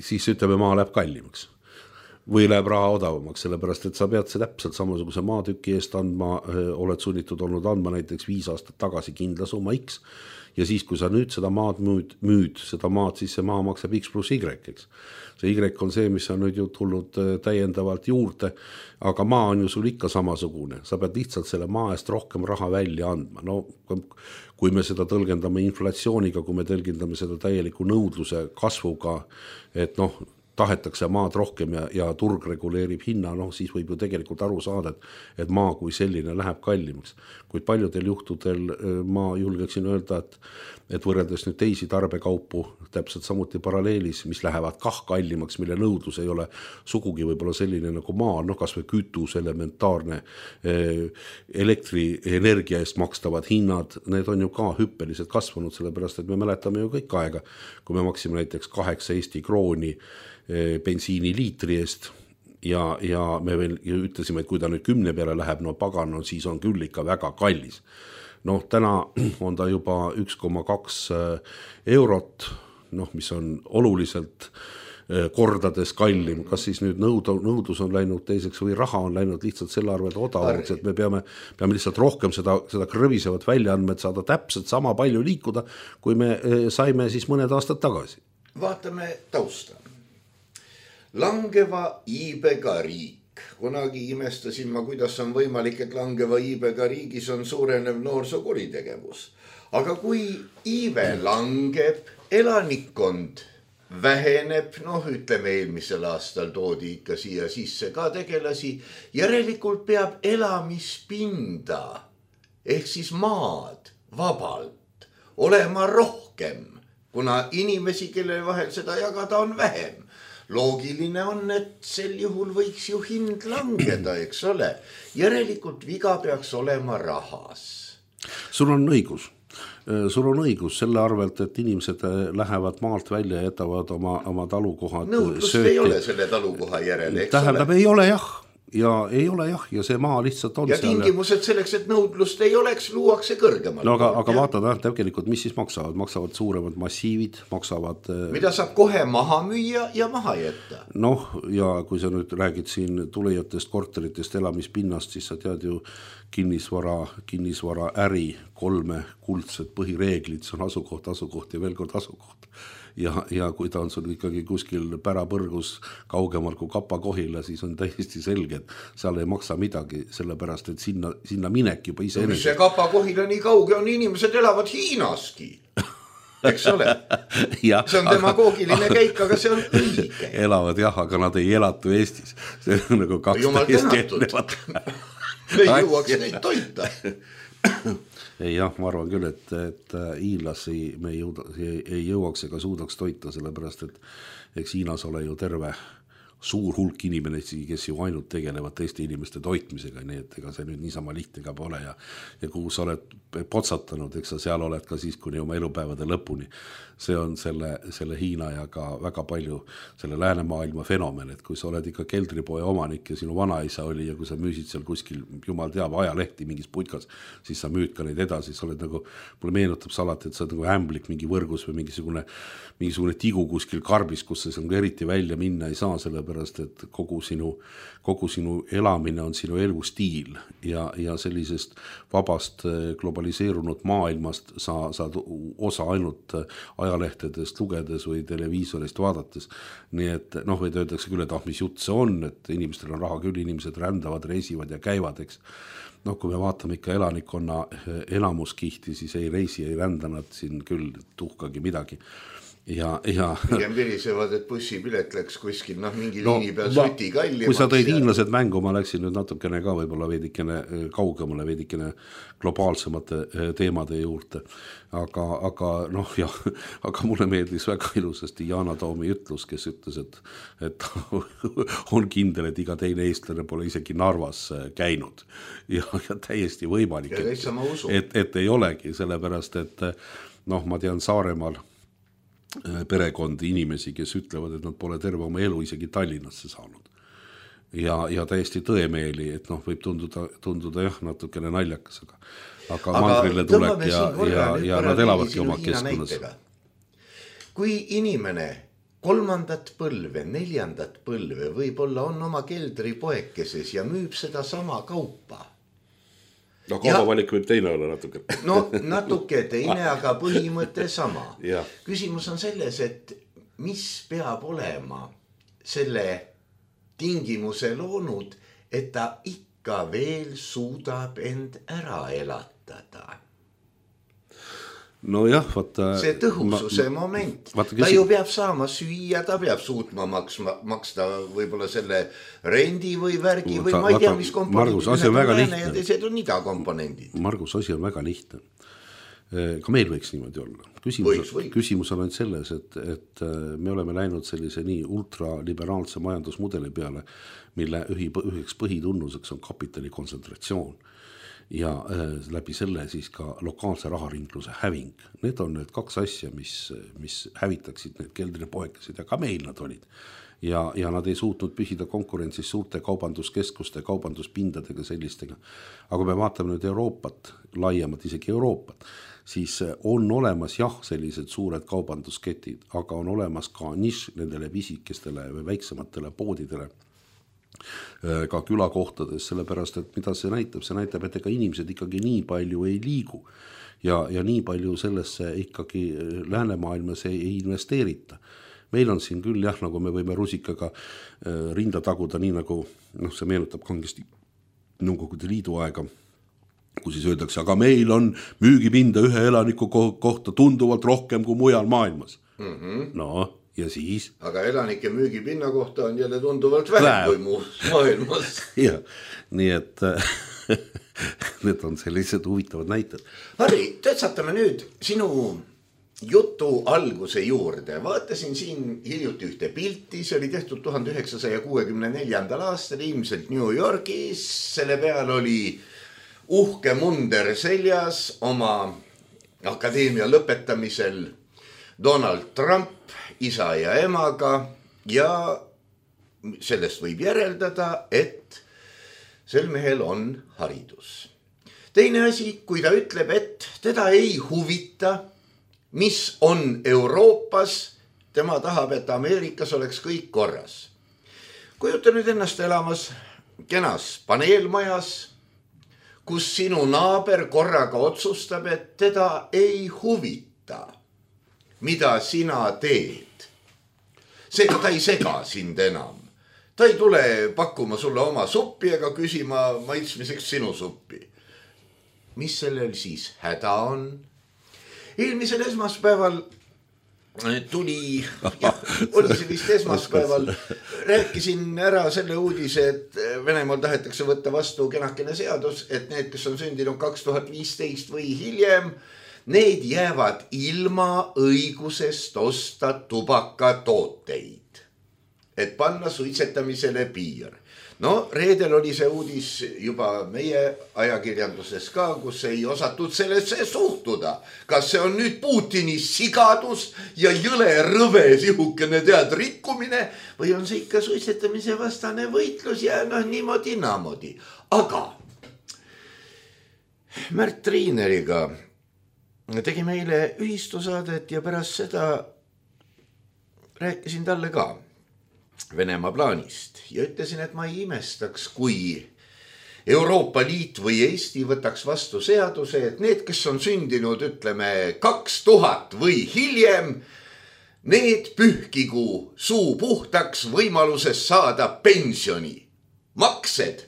siis ütleme, maa läheb kallimaks või läheb raha odavamaks, sellepärast, et sa pead see täpselt samasuguse maatüki eest andma, oled sunnitud olnud andma näiteks viis aastat tagasi kindla summa X ja siis, kui sa nüüd seda maad müüd, müüd seda maad, siis see maa maksab X pluss Y, eks. See Y on see, mis on nüüd ju tulnud täiendavalt juurde, aga maa on ju sul ikka samasugune. Sa pead lihtsalt selle maa eest rohkem raha välja andma. No, kui me seda tõlgendame inflatsiooniga, kui me tõlgendame seda täieliku nõudluse kasvuga, et noh, tahetakse maad rohkem ja, ja turg reguleerib hinna, noh siis võib ju tegelikult aru saada, et, et maa kui selline läheb kallimaks. Kuid paljudel juhtudel ma julgeksin öelda, et, et võrreldes nüüd teisi tarbekaupu täpselt samuti paralleelis, mis lähevad kah kallimaks, mille nõudlus ei ole sugugi võib-olla selline nagu maa, noh kas või kütus, elementaarne elektrienergia eest makstavad hinnad, need on ju ka hüppeliselt kasvanud, sellepärast et me mäletame ju kõik aega, kui me maksime näiteks kaheksa Eesti krooni bensiini liitri eest ja, ja me veel ütlesime, et kui ta nüüd kümne peale läheb, no pagan, no siis on küll ikka väga kallis. Noh, täna on ta juba üks koma kaks eurot, noh, mis on oluliselt kordades kallim, kas siis nüüd nõud, nõudlus on läinud teiseks või raha on läinud lihtsalt selle arvelt odavaks, et me peame, peame lihtsalt rohkem seda, seda krõvisevat välja andma, et saada täpselt sama palju liikuda, kui me saime siis mõned aastad tagasi. Vaatame tausta. Langeva iibega riik. Kunagi imestasin ma, kuidas on võimalik, et langeva iibega riigis on suurenev noorsokuritegevus. Aga kui iibe langeb, elanikkond väheneb, noh ütleme eelmisel aastal toodi ikka siia sisse ka tegelasi, järelikult peab elamispinda ehk siis maad vabalt olema rohkem, kuna inimesi, kelle vahel seda jagada on vähem. Loogiline on, et sel juhul võiks ju hind langeda, eks ole. Järelikult viga peaks olema rahas. Sul on õigus. Sul on õigus selle arvelt, et inimesed lähevad maalt välja ja jätavad oma, oma talukohad nõudlust sööti. Ei ole selle talukoha järele, eks Tähendab, ole? Ei ole jah. Ja ei ole jah, ja see maa lihtsalt on ja seal. Ja tingimused selleks, et nõudlust ei oleks, luuakse kõrgemalt. No aga, aga vaatad, tegelikult, mis siis maksavad? Maksavad suuremad massiivid, maksavad... Mida saab kohe maha müüa ja maha jätta? Noh, ja kui sa nüüd räägid siin tulijatest, korteritest, elamispinnast, siis sa tead ju kinnisvara, kinnisvara äri, kolme kuldset põhireeglid, see on asukoht, asukoht ja veel kord asukoht. Ja, ja kui ta on sul ikkagi kuskil pärapõrgus kaugemal kui Kapa-Kohila, siis on täiesti selge, et seal ei maksa midagi, sellepärast, et sinna, sinna minek juba ise... No, mis see Kapa-Kohila nii kauge on, inimesed elavad Hiinaski, eks ole? Ja, see on demagoogiline aga... käik, aga see on õige. Elavad jah, aga nad ei elatu Eestis. See on nagu kaks Jumal tänatud. Ei jõuaks neid toita. Ei jah, ma arvan küll, et, et hiinlasi me ei, jõuda, ei jõuaks ega suudaks toita, sellepärast, et eks Hiinas ole ju terve suur hulk inimesi, kes ju ainult tegelevad teiste inimeste toitmisega, nii et ega see nüüd niisama lihtne ka pole ja, ja kuhu sa oled potsatanud, eks sa seal oled ka siis kuni oma elupäevade lõpuni. See on selle, selle Hiina ja ka väga palju selle läänemaailma fenomen, et kui sa oled ikka keldripoe omanik ja sinu vanaisa oli ja kui sa müüsid seal kuskil, jumal teab, ajalehti mingis putkas, siis sa müüd ka neid edasi, sa oled nagu, mulle meenutab salati, et sa oled nagu ämblik mingi võrgus või mingisugune, mingisugune tigu kuskil karbis, kus sa eriti välja minna ei saa, sellepärast, et kogu sinu, kogu sinu elamine on sinu elustiil ja, ja sellisest vabast globaliseerunud maailmast sa saad osa ainult ajalehtedest lugedes või televiisorist vaadates. Nii et noh, või öeldakse küll, et ah, mis jutt see on, et inimestel on raha küll, inimesed rändavad, reisivad ja käivad, eks. Noh, kui me vaatame ikka elanikkonna enamuskihti, siis ei reisi, ei rända nad siin küll tuhkagi midagi. ja, ja pigem virisevad, et bussipilet läks kuskil, noh mingi no, liini peal suti kallimaks. Kui sa tõid ja... hiinlased mängu, ma läksin nüüd natukene ka võib-olla veidikene kaugemale, veidikene globaalsemate teemade juurde. Aga, aga noh, jah, aga mulle meeldis väga ilusasti Yana Toomi ütlus, kes ütles, et, et on kindel, et iga teine eestlane pole isegi Narvas käinud. Ja, ja täiesti võimalik, ja et, et, et ei olegi, sellepärast, et noh, ma tean Saaremaal perekondi inimesi, kes ütlevad, et nad pole terve oma elu isegi Tallinnasse saanud. Ja, ja täiesti tõemeeli, et noh, võib tunduda, tunduda jah, natukene naljakas, aga, aga, aga mandrile tulek ja, ja, ja nad elavadki oma keskkonnas. Kui inimene kolmandat põlve, neljandat põlve võib-olla on oma keldri poekeses ja müüb seda sama kaupa, no kaubavalik võib teine olla natuke. No natuke teine, aga põhimõte sama. Küsimus on selles, et mis peab olema selle tingimuse loonud, et ta ikka veel suudab end ära elatada. No jah, vaata... See tõhususe ma, moment. Vaata, ta ju peab saama süüa, ta peab suutma maksma, maksta võib-olla selle rendi või värgi vaata, või ma ei tea, mis komponendid. Margus, asi on väga lihtne. Ja teised on idakomponendid. Margus, asi on väga lihtne. Ka meil võiks niimoodi olla. Küsimus, võiks, võiks. Küsimus on ainult selles, et, et me oleme läinud sellise nii ultraliberaalse majandusmudeli peale, mille ühi, üheks põhitunnuseks on kapitali kontsentratsioon. Ja äh, läbi selle siis ka lokaalse raharingluse häving. Need on need kaks asja, mis, mis hävitaksid need keldripoekesed ja ka meil nad olid. Ja, ja nad ei suutnud püsida konkurentsis suurte kaubanduskeskuste, kaubanduspindadega sellistega. Aga me vaatame nüüd Euroopat, laiemalt isegi Euroopat, siis on olemas jah sellised suured kaubandusketid, aga on olemas ka nišš nendele pisikestele või väiksematele poodidele, ka külakohtades, sellepärast, et mida see näitab, see näitab, et ega inimesed ikkagi nii palju ei liigu ja, ja nii palju sellesse ikkagi läänemaailmas ei, ei investeerita. Meil on siin küll jah, nagu me võime rusikaga rinda taguda, nii nagu noh, see meenutab kangesti Nõukogude Liidu aega, kui siis öeldakse, aga meil on müügipinda ühe elaniku kohta tunduvalt rohkem kui mujal maailmas. Mm-hmm. No ja siis? Aga elanike müügipinna kohta on jälle tunduvalt vähem kui muus maailmas. Ja, nii et need on sellised huvitavad näited. Harri, tõtsatame nüüd sinu jutu alguse juurde. Vaatasin siin hiljuti ühte pilti, see oli tehtud tuhande üheksasaja kuuekümne neljandal aastal, ilmselt New Yorgis. Selle peal oli uhke munder seljas oma akadeemia lõpetamisel Donald Trump, isa ja emaga ja sellest võib järeldada, et sel mehel on haridus. Teine asi, kui ta ütleb, et teda ei huvita, mis on Euroopas, tema tahab, et Ameerikas oleks kõik korras. Kujuta nüüd ennast elamas kenas paneelmajas, kus sinu naaber korraga otsustab, et teda ei huvita, mida sina teed. Seega ta ei sega sind enam. Ta ei tule pakkuma sulle oma suppi ega küsima maitsmiseks sinu suppi. Mis sellel siis häda on? Eelmisel esmaspäeval tuli, jah, oli see vist esmaspäeval, rääkisin ära selle uudise, et Venemaal tahetakse võtta vastu kenakene seadus, et need, kes on sündinud kaks tuhat viisteist või hiljem, need jäävad ilma õigusest osta tubakatooteid, et panna suitsetamisele piir. No reedel oli see uudis juba meie ajakirjanduses ka, kus ei osatud sellesse suhtuda. Kas see on nüüd Putini sigadus ja jõle rõve sihukene tead rikkumine või on see ikka suitsetamise vastane võitlus ja noh niimoodi naamodi. Aga Märt Triineriga tegi meile ühistusaadet ja pärast seda rääkisin talle ka Venemaa plaanist ja ütlesin, et ma ei imestaks, kui Euroopa Liit või Eesti võtaks vastu seaduse, et need, kes on sündinud, ütleme, kaks tuhat või hiljem, need pühkigu suu puhtaks võimaluses saada pensioni. Maksed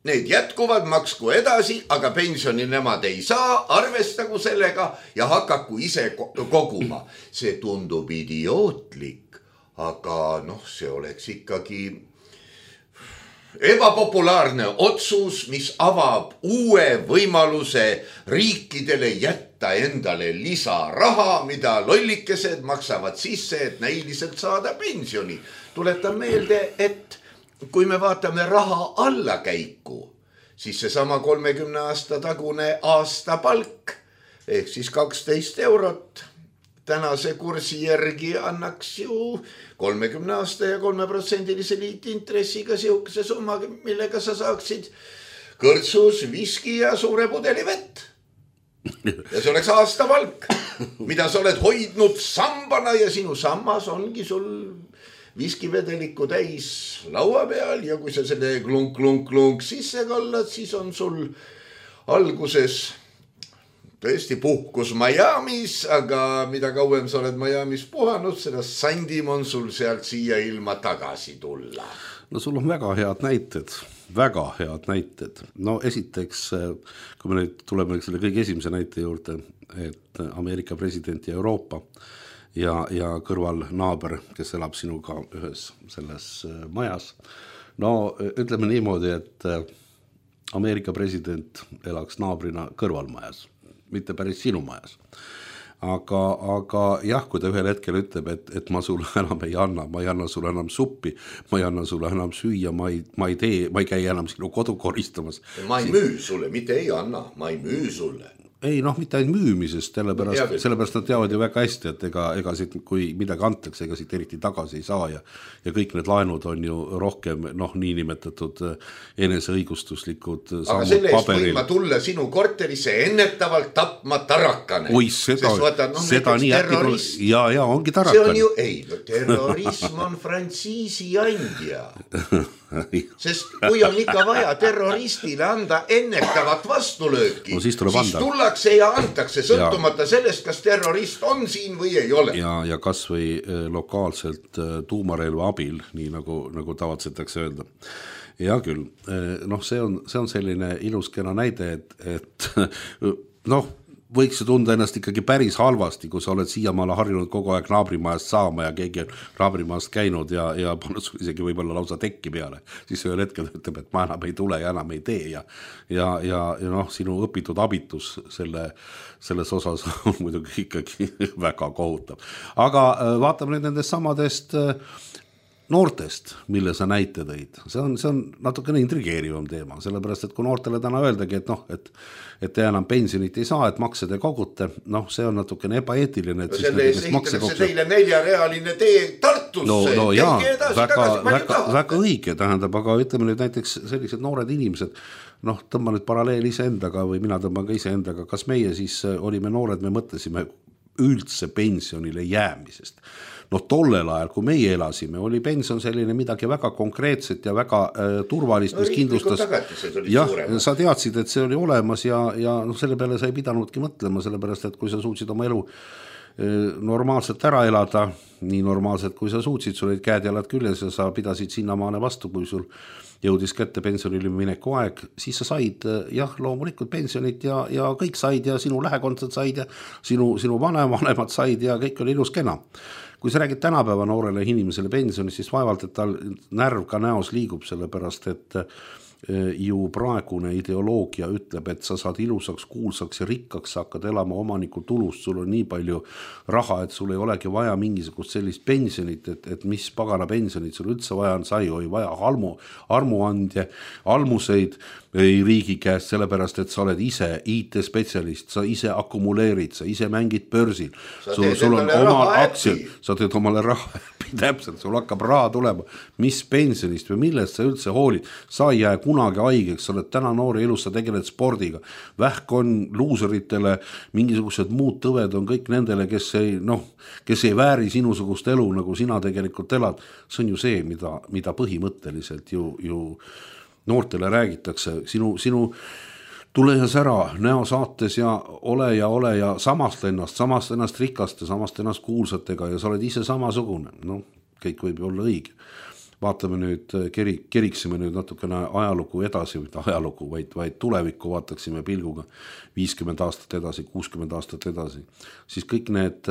need jätkuvad, maksku edasi, aga pensioni nemad ei saa, arvestagu sellega ja hakaku ise koguma. See tundub idiootlik, aga noh, see oleks ikkagi ebapopulaarne otsus, mis avab uue võimaluse riikidele jätta endale lisaraha, mida lollikesed maksavad sisse, et näiliselt saada pensioni. Tuletan meelde, et kui me vaatame raha allakäiku, siis see sama kolmekümne aasta tagune aasta palk, ehk siis kaksteist eurot, tänase kursi järgi annaks ju kolmekümne aasta ja kolme protsendilise liitintressiga siukese summa, millega sa saaksid kõrtsus, viski ja suure pudeli vett. Ja see oleks aasta palk, mida sa oled hoidnud sambana ja sinu sammas ongi sul viskivedeliku täis laua peal ja kui sa selle klunk, klunk, klunk sisse kallad, siis on sul alguses tõesti puhkus Miamis, aga mida kauem sa oled Miamis puhanud, seda sandim on sul sealt siia ilma tagasi tulla. No sul on väga head näited, väga head näited. No esiteks, kui me nüüd tuleme selle kõige esimese näite juurde, et Ameerika president ja Euroopa ja, ja kõrval naaber, kes elab sinuga ühes selles majas. No ütleme niimoodi, et Ameerika president elaks naabrina kõrvalmajas, mitte päris sinu majas. Aga, aga jah, kui ta ühel hetkel ütleb, et, et ma sulle enam ei anna, ma ei anna sulle enam suppi, ma ei anna sulle enam süüa, ma ei, ma ei tee, ma ei käi enam sinu kodu koristamas. Ma ei müü sulle, mitte ei anna, ma ei müü sulle. Ei, noh, mitte ainult müümisest, sellepärast, sellepärast nad teavad ju väga hästi, et ega, ega siit, kui midagi antakse, ega siit eriti tagasi ei saa ja, ja kõik need laenud on ju rohkem, noh, niinimetatud eneseõigustuslikud aga selle eest võin ma tulla sinu korterisse ennetavalt tapma tarakane. Oi, seda, vaata, no, seda nii äkki tulla. Ja, ja, ongi tarakane. See on ju, ei, terrorism on frantsiisi andja. Sest kui on ikka vaja terroristile anda ennetavat vastulööki, no, siis, siis tullakse ja antakse sõltumata ja. Sellest, kas terrorist on siin või ei ole. Ja, ja kas või lokaalselt tuumarelva abil, nii nagu, nagu tavatsetakse öelda. Ja küll, noh, see on, see on selline ilus kena näide, et, et noh, võiks ju tunda ennast ikkagi päris halvasti, kui sa oled siiamaale harjunud kogu aeg naabrimajast saama ja keegi on naabrimajast käinud ja, ja pannud sul isegi võib-olla lausa tekki peale. Siis ühel hetkel ütleb, et ma enam ei tule ja enam ei tee ja, ja, ja, ja noh, sinu õpitud abitus selle, selles osas on muidugi ikkagi väga kohutav. Aga vaatame nüüd nendest samadest noortest, mille sa näite tõid. See on, see on natukene intrigeerivam teema, sellepärast, et kui noortele täna öeldagi, et noh, et, et te enam pensionit ei saa, et makse te kogute, noh, see on natukene ebaeetiline. No selle eest ehitatakse teile neljarealine tee Tartusse. No, no jaa, väga, väga, väga õige tähendab, aga ütleme nüüd näiteks sellised noored inimesed, noh, tõmba nüüd paralleel iseendaga või mina tõmban ka iseendaga, kas meie siis olime noored, me mõtlesime üldse pensionile jäämisest. Noh, tollel ajal, kui meie elasime, oli pension selline midagi väga konkreetset ja väga äh, turvalist, mis no, kindlustas. Jah, sa teadsid, et see oli olemas ja, ja no, selle peale sa ei pidanudki mõtlema, sellepärast, et kui sa suutsid oma elu äh, normaalselt ära elada, nii normaalselt, kui sa suutsid, sul olid käed jalad küljes ja sa pidasid sinnamaane vastu, kui sul jõudis kätte pensionile mineku aeg, siis sa said jah, loomulikult pensionit ja, ja kõik said ja sinu lähekondsed said ja sinu, sinu vanemad said ja kõik oli ilus kena. Kui sa räägid tänapäeva noorele inimesele pensionist, siis vaevalt, et tal närv ka näos liigub, sellepärast, et ju praegune ideoloogia ütleb, et sa saad ilusaks, kuulsaks ja rikkaks, sa hakkad elama omaniku tulust, sul on nii palju raha, et sul ei olegi vaja mingisugust sellist pensionit, et, et mis pagana pensionit sul üldse vaja on, sa ei või vaja almu, armuandje, almuseid ei riigi käest, sellepärast, et sa oled ise I T-spetsialist, sa ise akumuleerid, sa ise mängid börsil, sul, sul on oma aktsiad, sa teed omale raha, täpselt, sul hakkab raha tulema, mis pensionist või millest sa üldse hoolid, sa ei jää kunagi haigeks, sa oled täna noori elus, sa tegeled spordiga, vähk on luuseritele, mingisugused muud tõved on kõik nendele, kes ei, noh, kes ei vääri sinusugust elu, nagu sina tegelikult elad, see on ju see, mida, mida põhimõtteliselt ju, ju noortele räägitakse, sinu, sinu tule ja sära näo saates ja ole ja ole ja samast ennast, samast ennast rikaste, samast ennast kuulsatega ja sa oled ise samasugune, no kõik võib olla õige. vaatame nüüd, keri, keriksime nüüd natukene ajalugu edasi, mitte ajalugu, vaid, vaid tulevikku vaataksime pilguga viiskümmend aastat edasi, kuuskümmend aastat edasi, siis kõik need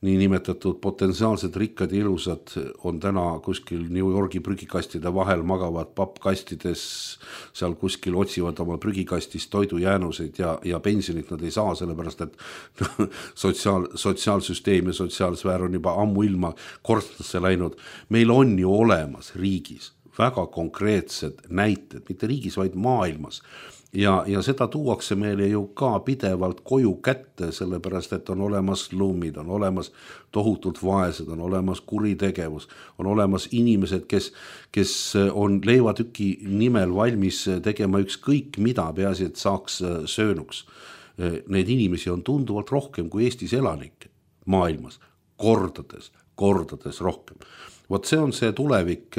nii nimetatud potentsiaalsed rikkad ja ilusad on täna kuskil New Yorgi prügikastide vahel, magavad pappkastides, seal kuskil otsivad oma prügikastist toidujäänuseid ja, ja pensionit nad ei saa, sellepärast et sotsiaal, sotsiaalsüsteem ja sotsiaalsfäär on juba ammu ilma korstnasse läinud. Meil on ju olemas riigis väga konkreetsed näited, mitte riigis, vaid maailmas. Ja, ja seda tuuakse meile ju ka pidevalt koju kätte, sellepärast et on olemas slumid, on olemas tohutult vaesed, on olemas kuritegevus, on olemas inimesed, kes, kes on leivatüki nimel valmis tegema ükskõik mida, peaasi, et saaks söönuks. Need inimesi on tunduvalt rohkem kui Eestis elanikke maailmas, kordades, kordades rohkem. Vot see on see tulevik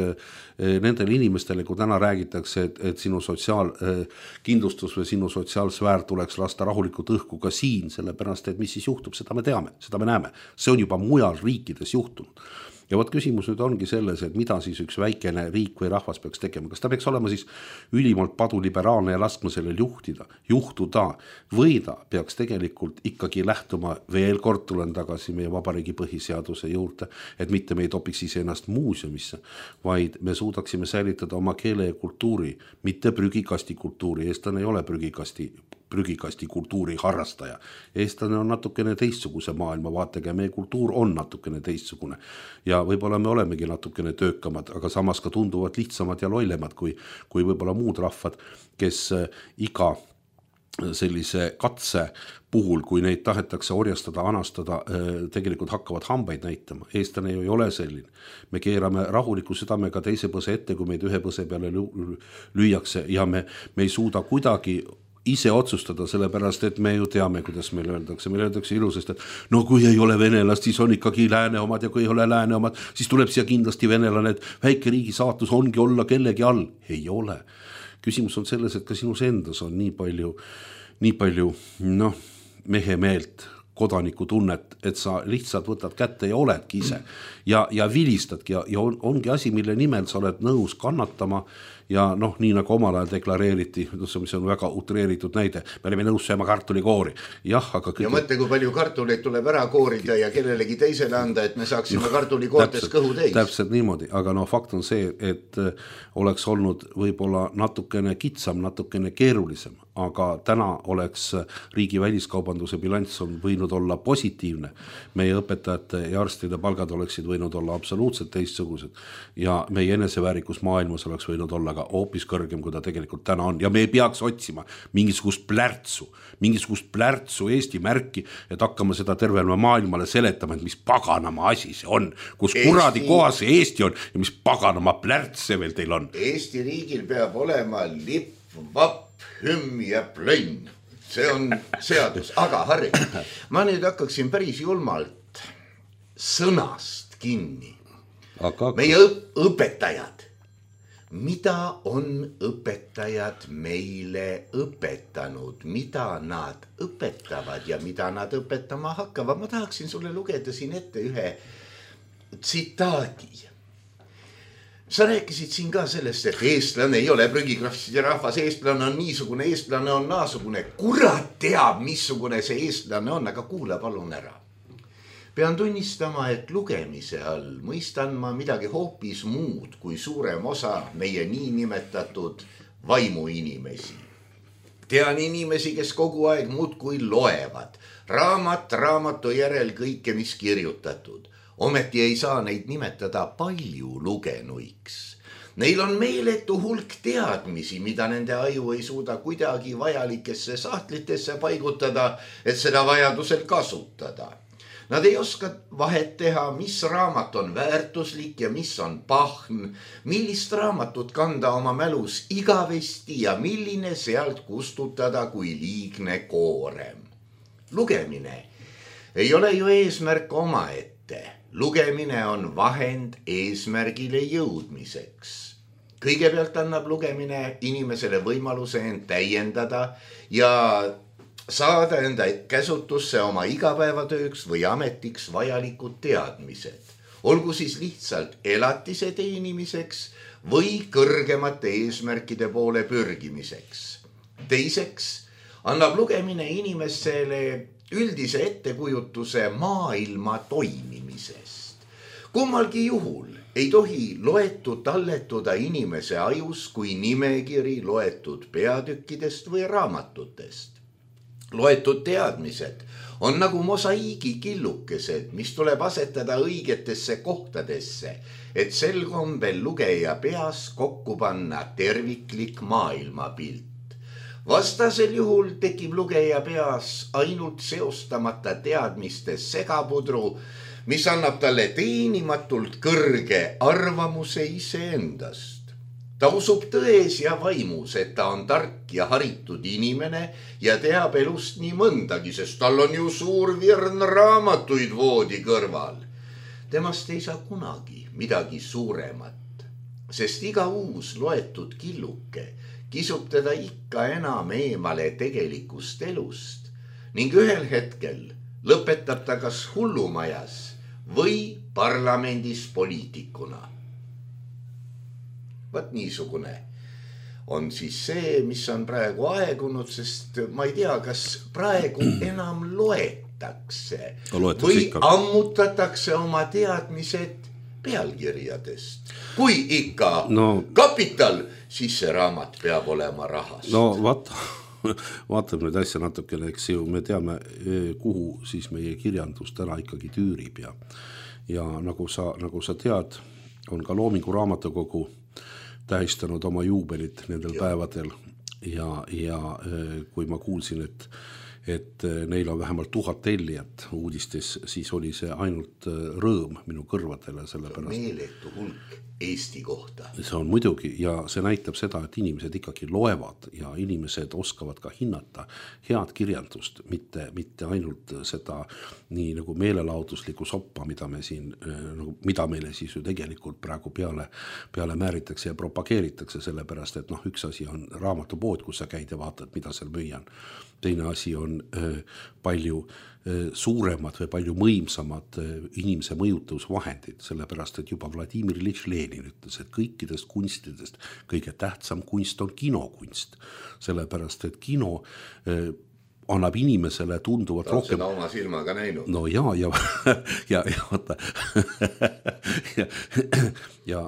nendele inimestele, kui täna räägitakse, et, et sinu sotsiaalkindlustus või sinu sotsiaalsfäär tuleks lasta rahulikult õhku ka siin, sellepärast, et mis siis juhtub, seda me teame, seda me näeme. See on juba mujal riikides juhtunud. Ja vot küsimus nüüd ongi selles, et mida siis üks väikene riik või rahvas peaks tegema. Kas ta peaks olema siis ülimalt paduliberaalne ja laskma sellel juhtida, juhtuda, või ta peaks tegelikult ikkagi lähtuma, veel kord tulen tagasi meie vabariigi põhiseaduse juurde, et mitte me ei topiks ise ennast muuseumisse, vaid me suudaksime säilitada oma keele ja kultuuri, mitte prügikasti kultuuri. Eestlane ei ole prügikasti prügikasti kultuuri harrastaja. Eestlane on natukene teistsuguse maailma vaatega ja meie kultuur on natukene teistsugune. Ja võib-olla me olemegi natukene töökamad, aga samas ka tunduvad lihtsamad ja lollemad kui, kui võib-olla muud rahvad, kes iga sellise katse puhul, kui neid tahetakse orjastada, anastada, tegelikult hakkavad hambaid näitama. Eestlane ju ei ole selline. Me keerame rahuliku südamega teise põse ette, kui meid ühe põse peale lüüakse ja me, me ei suuda kuidagi ise otsustada, sellepärast, et me ju teame, kuidas meil öeldakse. Meil öeldakse ilusasti, et no kui ei ole venelast, siis on ikkagi lääne omad ja kui ei ole lääne omad, siis tuleb siia kindlasti venelane, et väike riigi saatus ongi olla kellegi all. Ei ole. Küsimus on selles, et ka sinus endas on nii palju, nii palju noh, mehe meelt, kodaniku tunnet, et sa lihtsalt võtad kätte ja oledki ise ja, ja vilistadki ja, ja on, ongi asi, mille nimel sa oled nõus kannatama ja noh, nii nagu omal ajal deklareeriti, mis on väga utreeritud näide, me oleme nõus sööma kartulikoori. Jah, aga kõik... Ja mõtle, kui palju kartuleid tuleb ära koorida ja kellelegi teisele anda, et me saaksime no, kartulikoortes kõhu täis. Täpselt niimoodi, aga no fakt on see, et oleks olnud võib-olla natukene kitsam, natukene keerulisem, aga täna oleks riigi väliskaubanduse bilanss on võinud olla positiivne. Meie õpetajate ja arstide palgad oleksid võinud olla absoluutselt teistsugused ja meie eneseväärikus maailmas oleks võinud olla ka hoopis kõrgem, kui ta tegelikult täna on. Ja me ei peaks otsima mingisugust plärtsu, mingisugust plärtsu Eesti märki, et hakkama seda tervele maailmale seletama, et mis paganama asi see on, kus Eesti... kuradi kohas see Eesti on ja mis paganama plärts see veel teil on. Eesti riigil peab olema lipp, vapp, hümm ja plönn. See on seadus. Aga Harri, ma nüüd hakkaksin päris julmalt sõnast kinni. Aga... Meie õpetajad. Mida on õpetajad meile õpetanud, mida nad õpetavad ja mida nad õpetama hakkavad? Ma tahaksin sulle lugeda siin ette ühe tsitaadi. Sa rääkisid siin ka sellest, et eestlane ei ole prügikrahvide rahvas, eestlane on niisugune, eestlane on naasugune. Kurat teab, missugune see eestlane on, aga kuula palun ära. Pean tunnistama, et lugemise all mõistan ma midagi hoopis muud kui suurem osa meie nii nimetatud vaimuinimesi. Tean inimesi, kes kogu aeg muudkui loevad, raamat raamatu järel kõike, mis kirjutatud. Ometi ei saa neid nimetada palju lugenuiks. Neil on meeletu hulk teadmisi, mida nende aju ei suuda kuidagi vajalikesse sahtlitesse paigutada, et seda vajadusel kasutada. Nad ei oska vahet teha, mis raamat on väärtuslik ja mis on pahn, millist raamatut kanda oma mälus igavesti ja milline sealt kustutada kui liigne koorem. Lugemine ei ole ju eesmärk omaette. Lugemine on vahend eesmärgile jõudmiseks. Kõigepealt annab lugemine inimesele võimaluse end täiendada ja saada enda käsutusse oma igapäevatööks või ametiks vajalikud teadmised. olgu siis lihtsalt elatise teenimiseks või kõrgemate eesmärkide poole pürgimiseks. Teiseks annab lugemine inimesele üldise ettekujutuse maailma toimimisest. Kummalgi juhul ei tohi loetud talletuda inimese ajus kui nimekiri loetud peatükkidest või raamatutest. Loetud teadmised on nagu mosaiigi killukesed, mis tuleb asetada õigetesse kohtadesse, et sel kombel lugeja peas kokku panna terviklik maailmapilt. Vastasel juhul tekib lugeja peas ainult seostamata teadmiste segapudru, mis annab talle teenimatult kõrge arvamuse iseendast. Ta usub tões ja vaimus, et ta on tark ja haritud inimene ja teab elust nii mõndagi, sest tal on ju suur virn raamatuid voodi kõrval. Temast ei saa kunagi midagi suuremat, sest iga uus loetud killuke kisub teda ikka enam eemale tegelikust elust ning ühel hetkel lõpetab ta kas hullumajas või parlamendis poliitikuna. Vaat niisugune on siis see, mis on praegu aegunud, sest ma ei tea, kas praegu enam loetakse või ikka ammutatakse oma teadmised pealkirjadest. Kui ikka no, kapital, siis see raamat peab olema rahast. No vaata, vaatame nüüd asja natukene, eks ju, me teame, kuhu siis meie kirjandus täna ikkagi tüürib ja, ja nagu sa, nagu sa tead, on ka Loomingu Raamatukogu tähistanud oma juubelit nendel ja. päevadel ja, ja kui ma kuulsin, et, et neil on vähemalt tuhat tellijat uudistes, siis oli see ainult rõõm minu kõrvadele. See on meeletu hulk Eesti kohta. See on muidugi ja see näitab seda, et inimesed ikkagi loevad ja inimesed oskavad ka hinnata head kirjandust, mitte, mitte ainult seda nii nagu meelelauduslikku soppa, mida me siin, nagu, mida meile siis ju tegelikult praegu peale, peale määritakse ja propageeritakse, sellepärast, et noh, üks asi on raamatupood, kus sa käid ja vaatad, mida seal müüan. Teine asi on äh, palju äh, suuremad või palju mõimsamad äh, inimese mõjutusvahendid, sellepärast, et juba Vladimir Iljitš Lenin ütles, et kõikidest kunstidest kõige tähtsam kunst on kinokunst, sellepärast, et kino äh, annab inimesele tunduvat ta rohkem. Ta on seda oma silmaga näinud. No ja, ja, ja, ja, vaata. ja, ja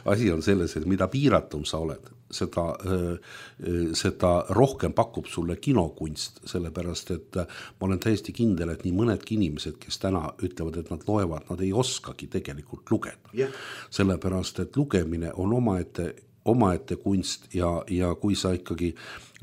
asi on selles, et mida piiratum sa oled, seda, seda rohkem pakub sulle kinokunst, sellepärast, et ma olen täiesti kindel, et nii mõnedki inimesed, kes täna ütlevad, et nad loevad, nad ei oskagi tegelikult lugeda. Yeah. Sellepärast, et lugemine on omaette omaette kunst ja, ja kui sa ikkagi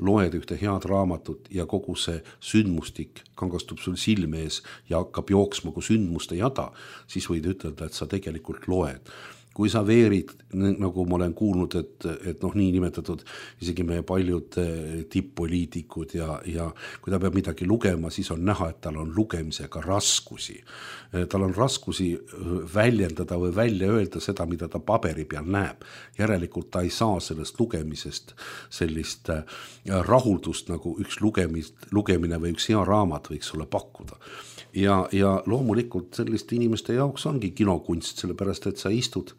loed ühte head raamatut ja kogu see sündmustik kangastub sul silme ees ja hakkab jooksma kui sündmuste jada, siis võid ütelda, et sa tegelikult loed. Kui sa veerid, nagu ma olen kuulnud, et, et noh, nii nimetatud isegi meie paljud tipp-poliitikud ja, ja kui ta peab midagi lugema, siis on näha, et tal on lugemisega raskusi. Tal on raskusi väljendada või välja öelda seda, mida ta paberi peal näeb. Järelikult ta ei saa sellest lugemisest sellist rahuldust, nagu üks lugemist, lugemine või üks hea raamat võiks sulle pakkuda. Ja, ja loomulikult selliste inimeste jaoks ongi kinokunst, sellepärast, et sa istud,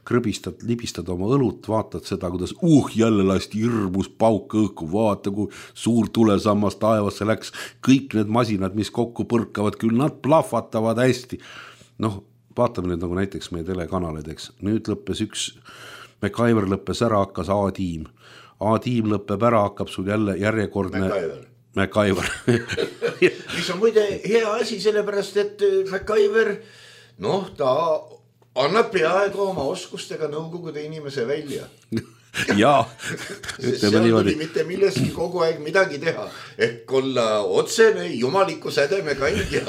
krõbistad, libistad oma õlut, vaatad seda, kuidas uh, jälle lasti hirmus pauk õhku, vaata, kui suur tulesammas taevasse läks, kõik need masinad, mis kokku põrkavad, küll nad plahvatavad hästi. Noh, vaatame nüüd nagu näiteks meie telekanalid, eks. Nüüd lõppes üks, MacGyver lõppes ära, hakkas A-tiim. A-tiim lõppeb ära, hakkab sul jälle järjekordne... MacGyver. MacGyver. mis on muide hea asi, sellepärast, et MacGyver, noh, ta annab peaaegu oma oskustega nõukogude inimese välja. Jaa. Seal tuli mitte milleski kogu aeg midagi teha, et olla otsene jumaliku sädeme kandja.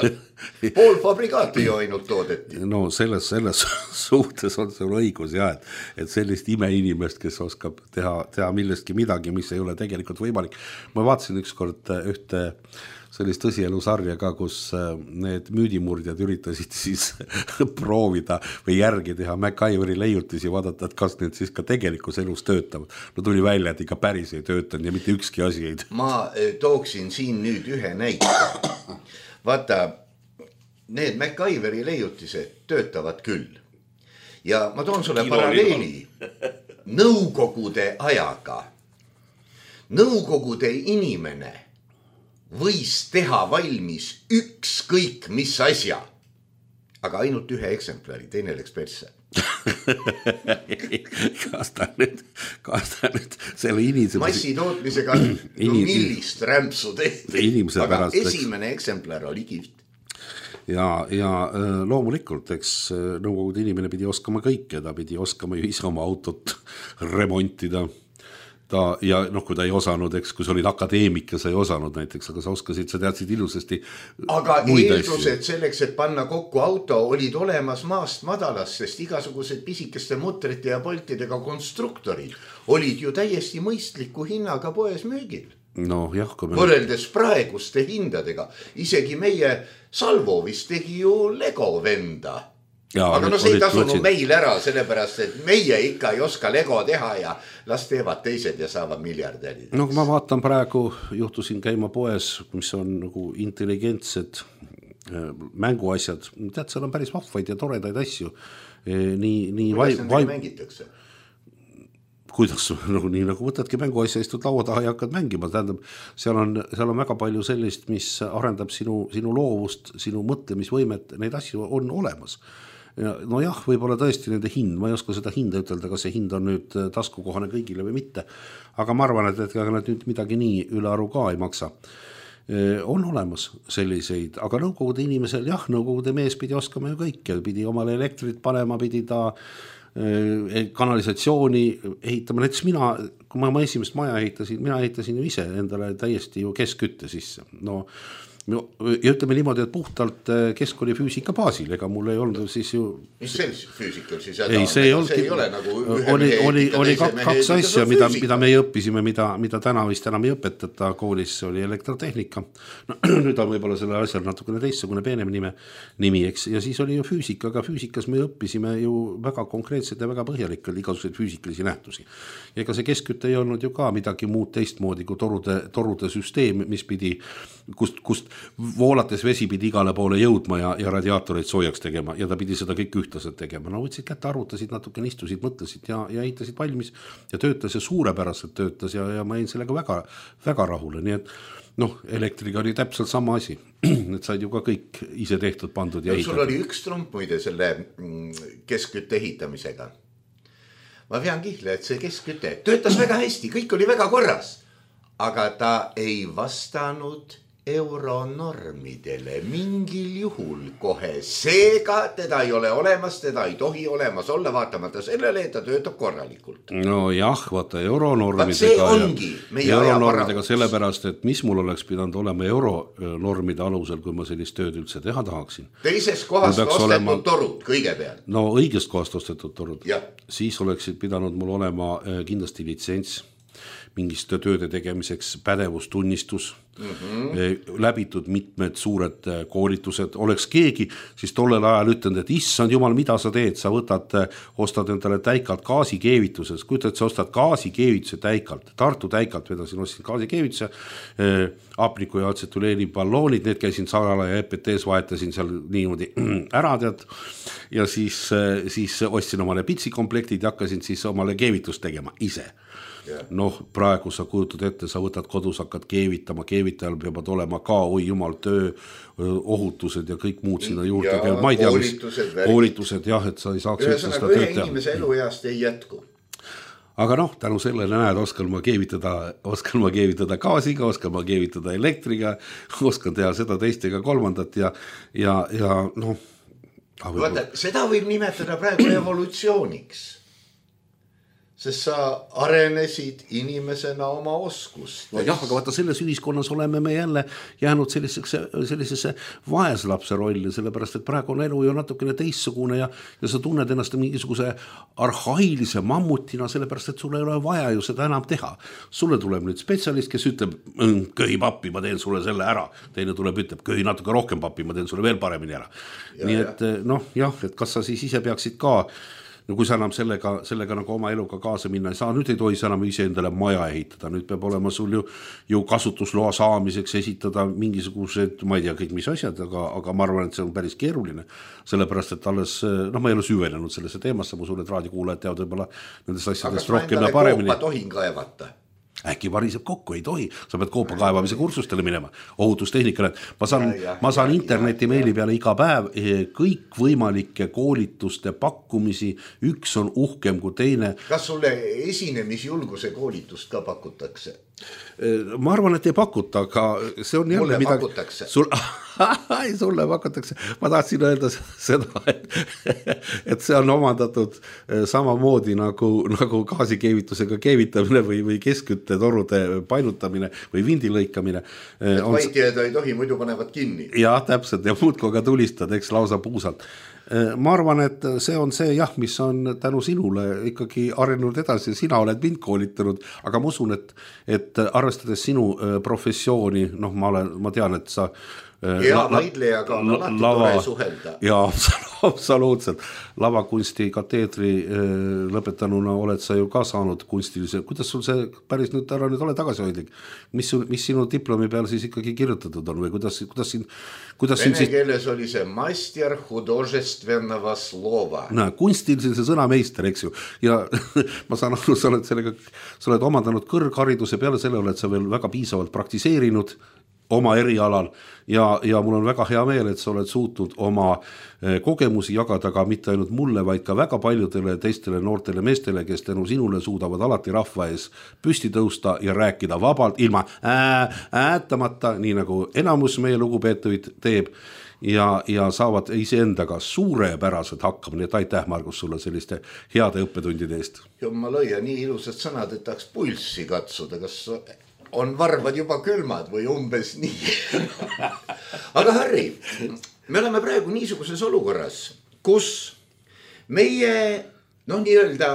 Pool fabrikaati ju ainult toodeti. No selles, selles suhtes on sul õigus ja, et, et sellist imeinimest, kes oskab teha, teha millestki midagi, mis ei ole tegelikult võimalik. Ma vaatasin ükskord ühte sellist tõsielusarja ka, kus need müüdimurdjad üritasid siis proovida või järgi teha MacGyveri leiutisi, vaadata, et kas need siis ka tegelikus elus töötavad. No tuli välja, et ikka päris ei töötanud ja mitte ükski asi ei. Ma tooksin siin nüüd ühe näite. Vaata, need MacGyveri leiutised töötavad küll. Ja ma toon sulle paralleeli nõukogude ajaga. Nõukogude inimene võis teha valmis ükskõik mis asja, aga ainult ühe eksemplari, teine läks persse. kas ta nüüd, kas ta nüüd selle inimese massitootmisega no millist rämpsu tehti, aga esimene eksemplar oli kihvt. Ja, ja loomulikult, eks nõukogude inimene pidi oskama kõike, ta pidi oskama ju ise oma autot remontida. Ta, ja noh, kui ta ei osanud, eks, kui sa olid akadeemik ja sa ei osanud näiteks, aga sa oskasid, sa teadsid ilusasti. Aga eeldused selleks, et panna kokku auto, olid olemas maast madalas, sest igasugused pisikeste mutrite ja poltidega konstruktorid olid ju täiesti mõistliku hinnaga poes müügil. No, jah, kui me... Võrreldes praeguste hindadega, isegi meie Salvo vist tegi ju Lego venda. Ja, aga no see ei tasunud meil ära, sellepärast, et meie ikka ei oska Lego teha ja las teevad teised ja saavad miljardärid. No kui ma vaatan praegu, juhtusin käima poes, mis on nagu intelligentsed mänguasjad. Tead, seal on päris vahvaid ja toredaid asju. Nii, nii kuidas vai... nendega mängitakse? Kuidas, nagu, nii nagu võtadki mänguasja, istud laua taha ja hakkad mängima. Tähendab, seal on, seal on väga palju sellist, mis arendab sinu, sinu loovust, sinu mõtlemisvõimet, neid asju on olemas. No jah, võib-olla tõesti nende hind, ma ei oska seda hinda ütelda, kas see hind on nüüd taskukohane kõigile või mitte, aga ma arvan, et, et nad nüüd midagi nii üle aru ka ei maksa. On olemas selliseid, aga nõukogude inimesel, jah, nõukogude mees pidi oskama ju kõike, pidi omale elektrit panema, pidi ta kanalisatsiooni ehitama, näiteks mina, kui ma oma esimest maja ehitasin, mina ehitasin ju ise endale täiesti ju keskkütte sisse, no ja ütleme niimoodi, et puhtalt keskkooli füüsika baasil, ega mul ei olnud siis ju... Mis sellised füüsikal siis ei, see ei, see ei ole nagu ühe oli, mehe oli, ehitada, oli teise mehe kaks ehitada, asja, mida, mida me õppisime, mida, mida täna vist enam ei õpetata koolis, oli elektrotehnika. No, nüüd on võib-olla selle asjal natukene teistsugune peenem nime, nimi, eks, ja siis oli ju füüsika, aga füüsikas me õppisime ju väga konkreetselt ja väga põhjalikult igasuguseid füüsikalisi nähtusi. Ja ega see keskküte ei olnud ju ka midagi muud teistmoodi kui torude, torude süsteem, mis pidi, kust, kust voolates vesi pidi igale poole jõudma ja, ja radiaatoreid soojaks tegema ja ta pidi seda kõik ühtlaselt tegema. No võtsid kätte, arvutasid, natuke istusid, mõtlesid ja, ja ehitasid valmis ja töötas ja suurepäraselt töötas ja, ja ma jäin sellega väga, väga rahule. Nii et noh, elektriga oli täpselt sama asi. Need said ju ka kõik ise tehtud, pandud ja ehitatud. Sul oli üks trump muide selle keskkütte ehitamisega. Ma vean kihle, et see keskküte töötas väga hästi, kõik oli väga korras, aga ta ei vastanud euronormidele mingil juhul kohe. Seega teda ei ole olemas, teda ei tohi olemas olla, vaatamata sellele, et ta töötab korralikult. No jah, vaata euronormidega, see ongi meie euronormidega sellepärast, et mis mul oleks pidanud olema euronormide alusel, kui ma sellist tööd üldse teha tahaksin. Teisest kohast ostetud olema... torud kõigepealt. No õigest kohast ostetud torud. Ja. Siis oleksid pidanud mul olema kindlasti litsents mingist tööde tegemiseks, pädevustunnistus, mm-hmm. läbitud mitmed suured koolitused, oleks keegi siis tollel ajal ütlenud, et issand jumal, mida sa teed, sa võtad, ostad endale täikalt gaasikeevituses, kujutad, et sa ostad gaasikeevituse täikalt, Tartu täikalt vedasin, ostsin gaasikeevituse, apniku ja atsetüleeni balloonid, need käisin Saarala ja E P T-s vahetasin seal niimoodi ära tead ja siis, siis ostsin omale pitsikomplektid ja hakkasin siis omale keevitust tegema ise. Noh, praegu sa kujutad ette, sa võtad kodus, hakkad keevitama, keevitajal peavad olema ka, oi jumal, töö, ohutused ja kõik muud sinna juurde. Ja ma ei tea, koolitused, mis, koolitused, jah, et sa ei saaks üldse seda tööd teha. Ühe inimese elueast ei jätku. Aga noh, tänu sellele näed, oskan ma keevitada, oskan ma keevitada gaasiga, oskan ma keevitada elektriga, oskan teha seda teistega kolmandat ja, ja, ja noh. Vaata, seda võib nimetada praegu evolutsiooniks. Sest sa arenesid inimesena oma oskust. No jah, aga vaata selles ühiskonnas oleme me jälle jäänud sellisesse, sellisesse vaeslapse rolli, sellepärast, et praegu on elu ju natukene teissugune ja, ja sa tunned ennast mingisuguse arhailise mammutina, sellepärast, et sulle ei ole vaja ju seda enam teha. Sulle tuleb nüüd spetsialist, kes ütleb, köhi pappi, ma teen sulle selle ära. Teine tuleb, ütleb, köhi natuke rohkem pappi, ma teen sulle veel paremini ära. Ja, nii et ja. noh, jah, et kas sa siis ise peaksid ka no kui sa enam sellega, sellega nagu oma eluga kaasa minna ei saa, nüüd ei tohi sa enam ise endale maja ehitada, nüüd peab olema sul ju, ju kasutusloa saamiseks esitada mingisugused, ma ei tea kõik mis asjad, aga, aga ma arvan, et see on päris keeruline, sellepärast, et alles, noh, ma ei ole süvenenud sellesse teemasse, ma sulle, et raadikuulajad teavad võib-olla nendest asjadest rohkem ja paremini. Aga kas ma endale koopa tohin kaevata? Äkki variseb kokku, ei tohi, sa pead koopa kaevamise kursustele minema, ohutustehnikale. Ma saan, ja, ja, ma saan ja, interneti ja, meili peale iga päev kõik võimalike koolituste pakkumisi, üks on uhkem kui teine. Kas sulle esinemisjulguse koolitust ka pakutakse? Ma arvan, et ei pakuta, aga see on jälle mulle midagi... pakutakse. Sul... ei, sulle pakutakse. Ma tahtsin öelda seda, et, et see on omandatud samamoodi nagu, nagu gaasikeevitusega keevitamine või, või keskküttetorude painutamine või vindi lõikamine. Et on... vaitjad ei tohi, muidu panevad kinni. Ja, täpselt, ja muudko ka tulistad, eks lausa puusalt. Ma arvan, et see on see jah, mis on tänu sinule ikkagi arenenud edasi, sina oled mind koolitanud, aga ma usun, et, et arvestades sinu professiooni, noh, ma olen, ma tean, et sa ja vaidlejaga on alati tore suhelda. Ja absoluutselt. Lavakunsti kateedri lõpetanuna oled sa ju ka saanud kunstilise. Kuidas sul see päris nüüd ära nüüd ole tagasihoidlik? Mis, mis sinu diplomi peal siis ikkagi kirjutatud on või kuidas, kuidas siin... Kuidas Vene siin keeles siis... oli see master hudожественного slova. No, kunstilise sõnameister, eks ju. Ja ma saan aru, sa oled, sellega, sa oled omandanud kõrghariduse peale selle, oled sa veel väga piisavalt praktiseerinud oma erialal ja, ja mul on väga hea meel, et sa oled suutnud oma kogemusi jagada ka mitte ainult mulle, vaid ka väga paljudele teistele noortele meestele, kes tänu sinule suudavad alati rahva ees püsti tõusta ja rääkida vabalt, ilma ää, äätamata, nii nagu enamus meie lugupeetuid teeb ja, ja saavad iseendaga suurepäraselt hakkama, nii et aitäh, Margus, sulle selliste heade õppetundide eest. Jumma lõia, nii ilusad sõnad, et tahaks pulssi katsuda, kas on varvad juba külmad või umbes nii. Aga Harri, me oleme praegu niisuguses olukorras, kus meie, noh, nii-öelda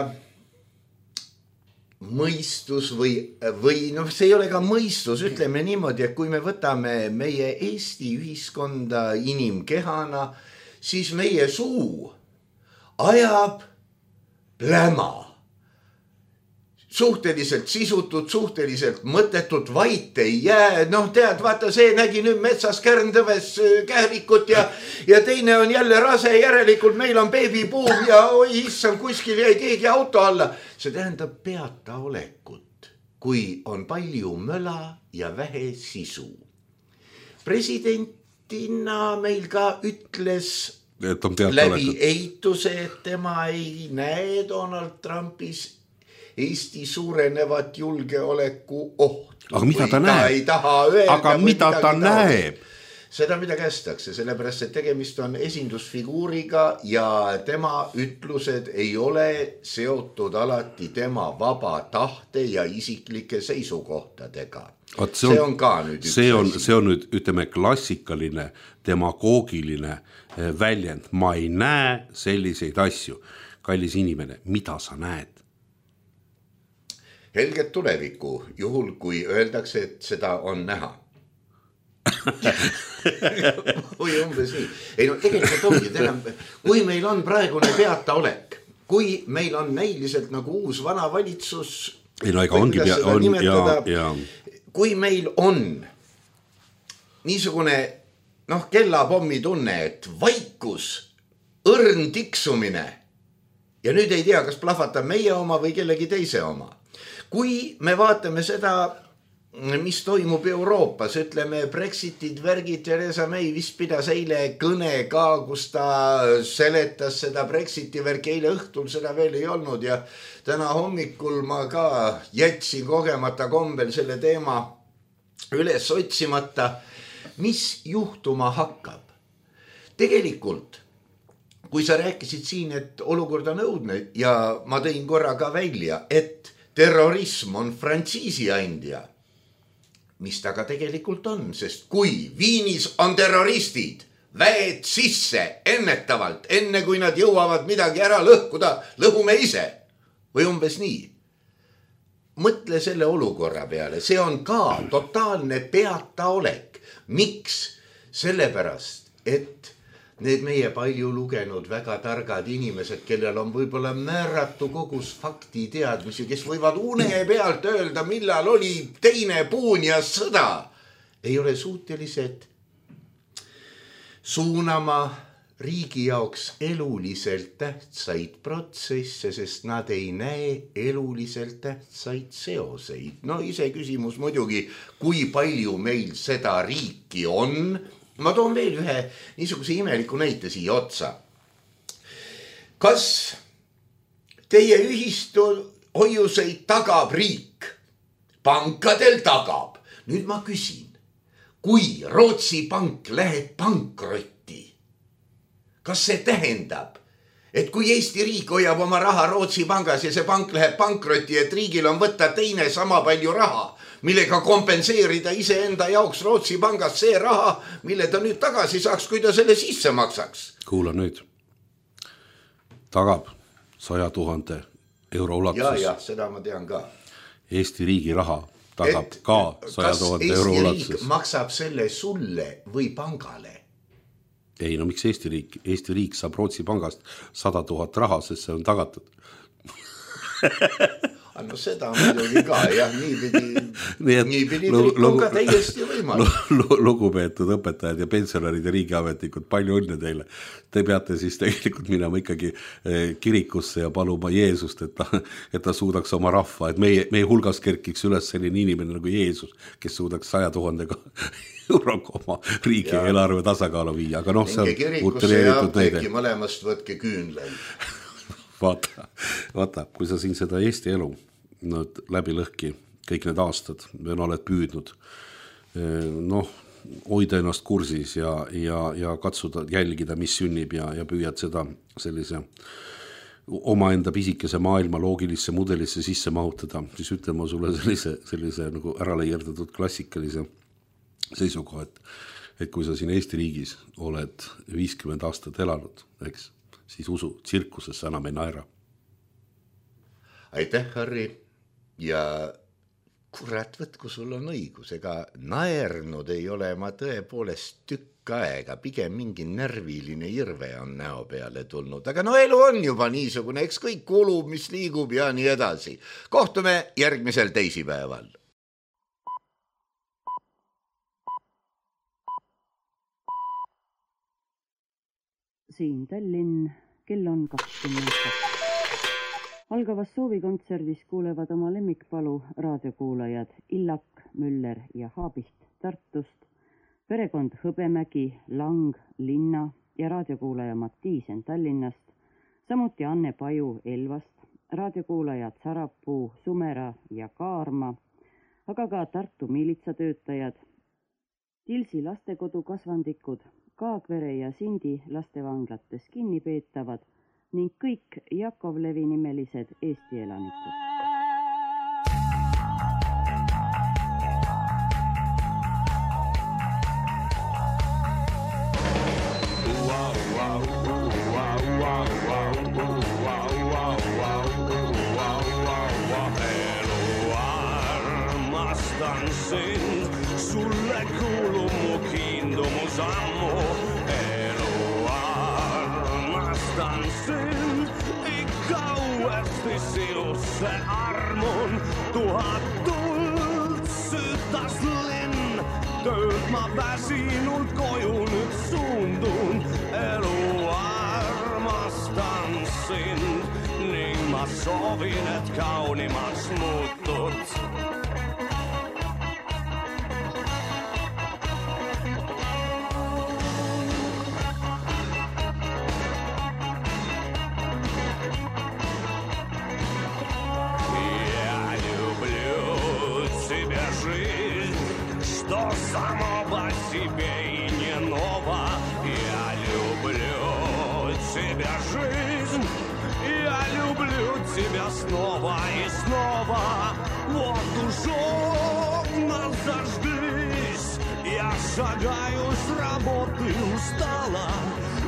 mõistus või, või noh, see ei ole ka mõistus, ütleme niimoodi, et kui me võtame meie Eesti ühiskonda inimkehana, siis meie suu ajab pläma. Suhteliselt sisutud, suhteliselt mõttetut, vait ei jää. Noh, tead, vaata, see nägi nüüd metsas kärndõves kährikut ja, ja teine on jälle rase, järelikult meil on beebibuum ja oi, issam, kuskil jäi keegi auto alla. See tähendab peata olekut, kui on palju möla ja vähe sisu. Presidentina meil ka ütles läbi eituse, et tema ei näe Donald Trumpis Eesti suurenevat julgeoleku ohtu. Aga mida ta näeb? Öelda, aga mida ta näeb? Seda mida kästakse, sellepärast, et tegemist on esindusfiguuriga ja tema ütlused ei ole seotud alati tema vaba tahte ja isiklike seisukohtadega. Oot, see, on, see on ka nüüd üks see on, see on nüüd, ütleme, klassikaline demagoogiline väljend. Ma ei näe selliseid asju. Kallis inimene, mida sa näed? Helget tulevikku, juhul kui öeldakse, et seda on näha. Või umbes nii. Ei no tegelikult ongi, teha, kui meil on praegune peata olek, kui meil on näiliselt nagu uus vana valitsus, ei no ega ongi pea, on, ja, ja. kui meil on niisugune noh, kellapommi tunne, et vaikus, õrn tiksumine ja nüüd ei tea, kas plahvatab meie oma või kellegi teise oma. Kui me vaatame seda, mis toimub Euroopas, ütleme Brexitid, värgid, Theresa May vist pidas eile kõne ka, kus ta seletas seda Brexiti värki, eile õhtul seda veel ei olnud ja täna hommikul ma ka jätsin kogemata kombel selle teema üles otsimata, mis juhtuma hakkab. Tegelikult, kui sa rääkisid siin, et olukord on õudne ja ma tõin korra ka välja, et terrorism on frantsiisi andja, mis ta ka tegelikult on, sest kui Viinis on terroristid, väed sisse ennetavalt, enne kui nad jõuavad midagi ära lõhkuda, lõhume ise või umbes nii. Mõtle selle olukorra peale, see on ka totaalne peataolek. Miks? Sellepärast, et need meie palju lugenud väga targad inimesed, kellel on võib-olla määratu kogus fakti teadmisi, kes võivad une pealt öelda, millal oli teine Puunias sõda, ei ole suutelised suunama riigi jaoks eluliselt tähtsaid protsesse, sest nad ei näe eluliselt tähtsaid seoseid. No ise küsimus muidugi, kui palju meil seda riiki on. Ma toon veel ühe niisuguse imeliku näite siia otsa. Kas teie ühistu hoiuseid tagab riik? Pankadel tagab. Nüüd ma küsin, kui Rootsi pank läheb pankrotti, kas see tähendab, et kui Eesti riik hoiab oma raha Rootsi pangas ja see pank läheb pankrotti, et riigil on võtta teine sama palju raha, millega kompenseerida iseenda jaoks Rootsi pangas see raha, mille ta nüüd tagasi saaks, kui ta selle sisse maksaks? Kuula nüüd. Tagab saja tuhande euro ulatuses. Ja, ja, seda ma tean ka. Eesti riigi raha tagab et, ka saja tuhande euro ulatuses. Kas Eesti riik maksab selle sulle või pangale? Ei, no miks Eesti riik? Eesti riik saab Rootsi pangast sada tuhat raha, sest see on tagatud. No seda muidugi ka, jah, niipidi, niipidi on ka täiesti võimalik. Lugupeetud õpetajad ja pensionärid ja riigiametnikud, palju õnne teile. Te peate siis tegelikult minema ikkagi kirikusse ja paluma Jeesust, et ta, et ta suudaks oma rahva, et meie, meie hulgas kerkiks üles selline inimene nagu Jeesus, kes suudaks saja tuhandega euroga oma riigi ja eelarve tasakaalu viia. Aga noh, see on kirikusse ja apteeki mõlemast võtke küünleid. Vaata, vaata, kui sa siin seda Eesti elu no, läbi lõhki kõik need aastad, me oled püüdnud noh, hoida ennast kursis ja, ja, ja katsuda jälgida, mis sünnib ja, ja püüad seda sellise omaenda pisikese maailma loogilisse mudelisse sisse mahutada, siis ütlen ma sulle sellise, sellise nagu äraleiерdatud klassikalise seisukoha, et, et kui sa siin Eesti riigis oled viiskümmend aastat elanud, eks, siis usu, tsirkusesse enam ei naera. Aitäh, Harri. Ja kurat, võtku sul on õigus, ega naernud ei ole ma tõepoolest tükk aega, pigem mingi närviline irve on näo peale tulnud, aga no elu on juba niisugune, eks kõik kulub, mis liigub ja nii edasi. Kohtume järgmisel teisipäeval. Siin Tallinn, kell on kakskümmend kaks. Algavas soovikontserdis kuulevad oma lemmikpalu raadiokuulajad Illak, Müller ja Haabiht Tartust, perekond Hõbemägi, Lang, Linna ja raadiokuulaja Mattiisen Tallinnast, samuti Anne Paju Elvast, raadiokuulajad Sarapuu, Sumera ja Kaarma, aga ka Tartu miilitsatöötajad, Tilsi lastekodu kasvandikud, Kaagvere ja Sindi lastevanglates kinni peetavad ning kõik Jakovlevi nimelised Eesti elanikud. Armastan sind, sulle kuulub mu kiindumus ammu. Armastan sind, ikka uuesti sinusse armun. Tuhat tuld sütas linn, tööd ma väsinult koju nüüd suundun. Elu armastan sind ning ma soovin, et kaunimaks muutud. Что само по себе и не ново. Я люблю тебя, жизнь. Я люблю тебя снова и снова. Вот уж окна зажглись. Я шагаю с работы устала.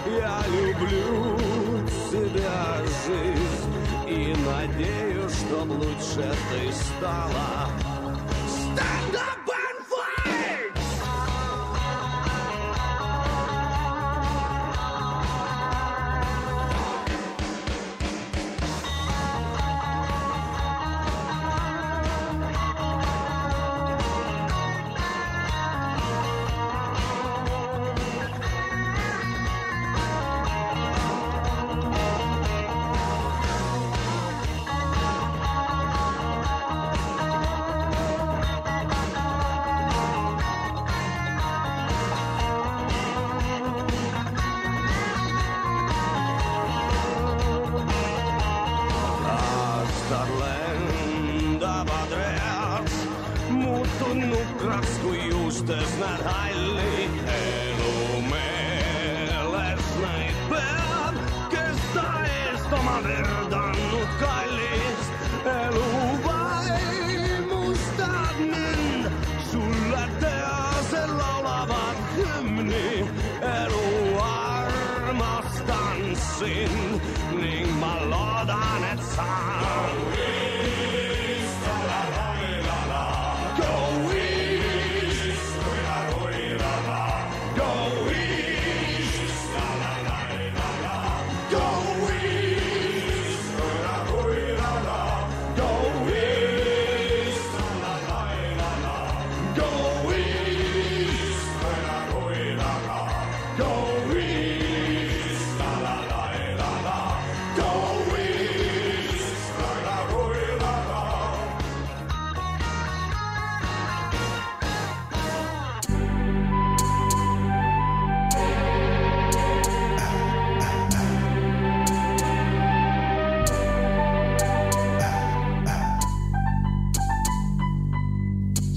Я люблю тебя, жизнь. И надеюсь, чтоб лучше ты стала. Stand up! unustes näed halli elu meeles neid peab, kes ta eest oma verd andnud kallist. Elu vaimustad mind, sulle tease laulavad hümni. Elu armastan sind ning ma loodan, et sa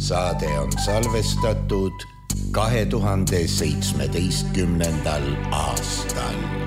saade on salvestatud kahe tuhande seitsmeteistkümnendal aastal.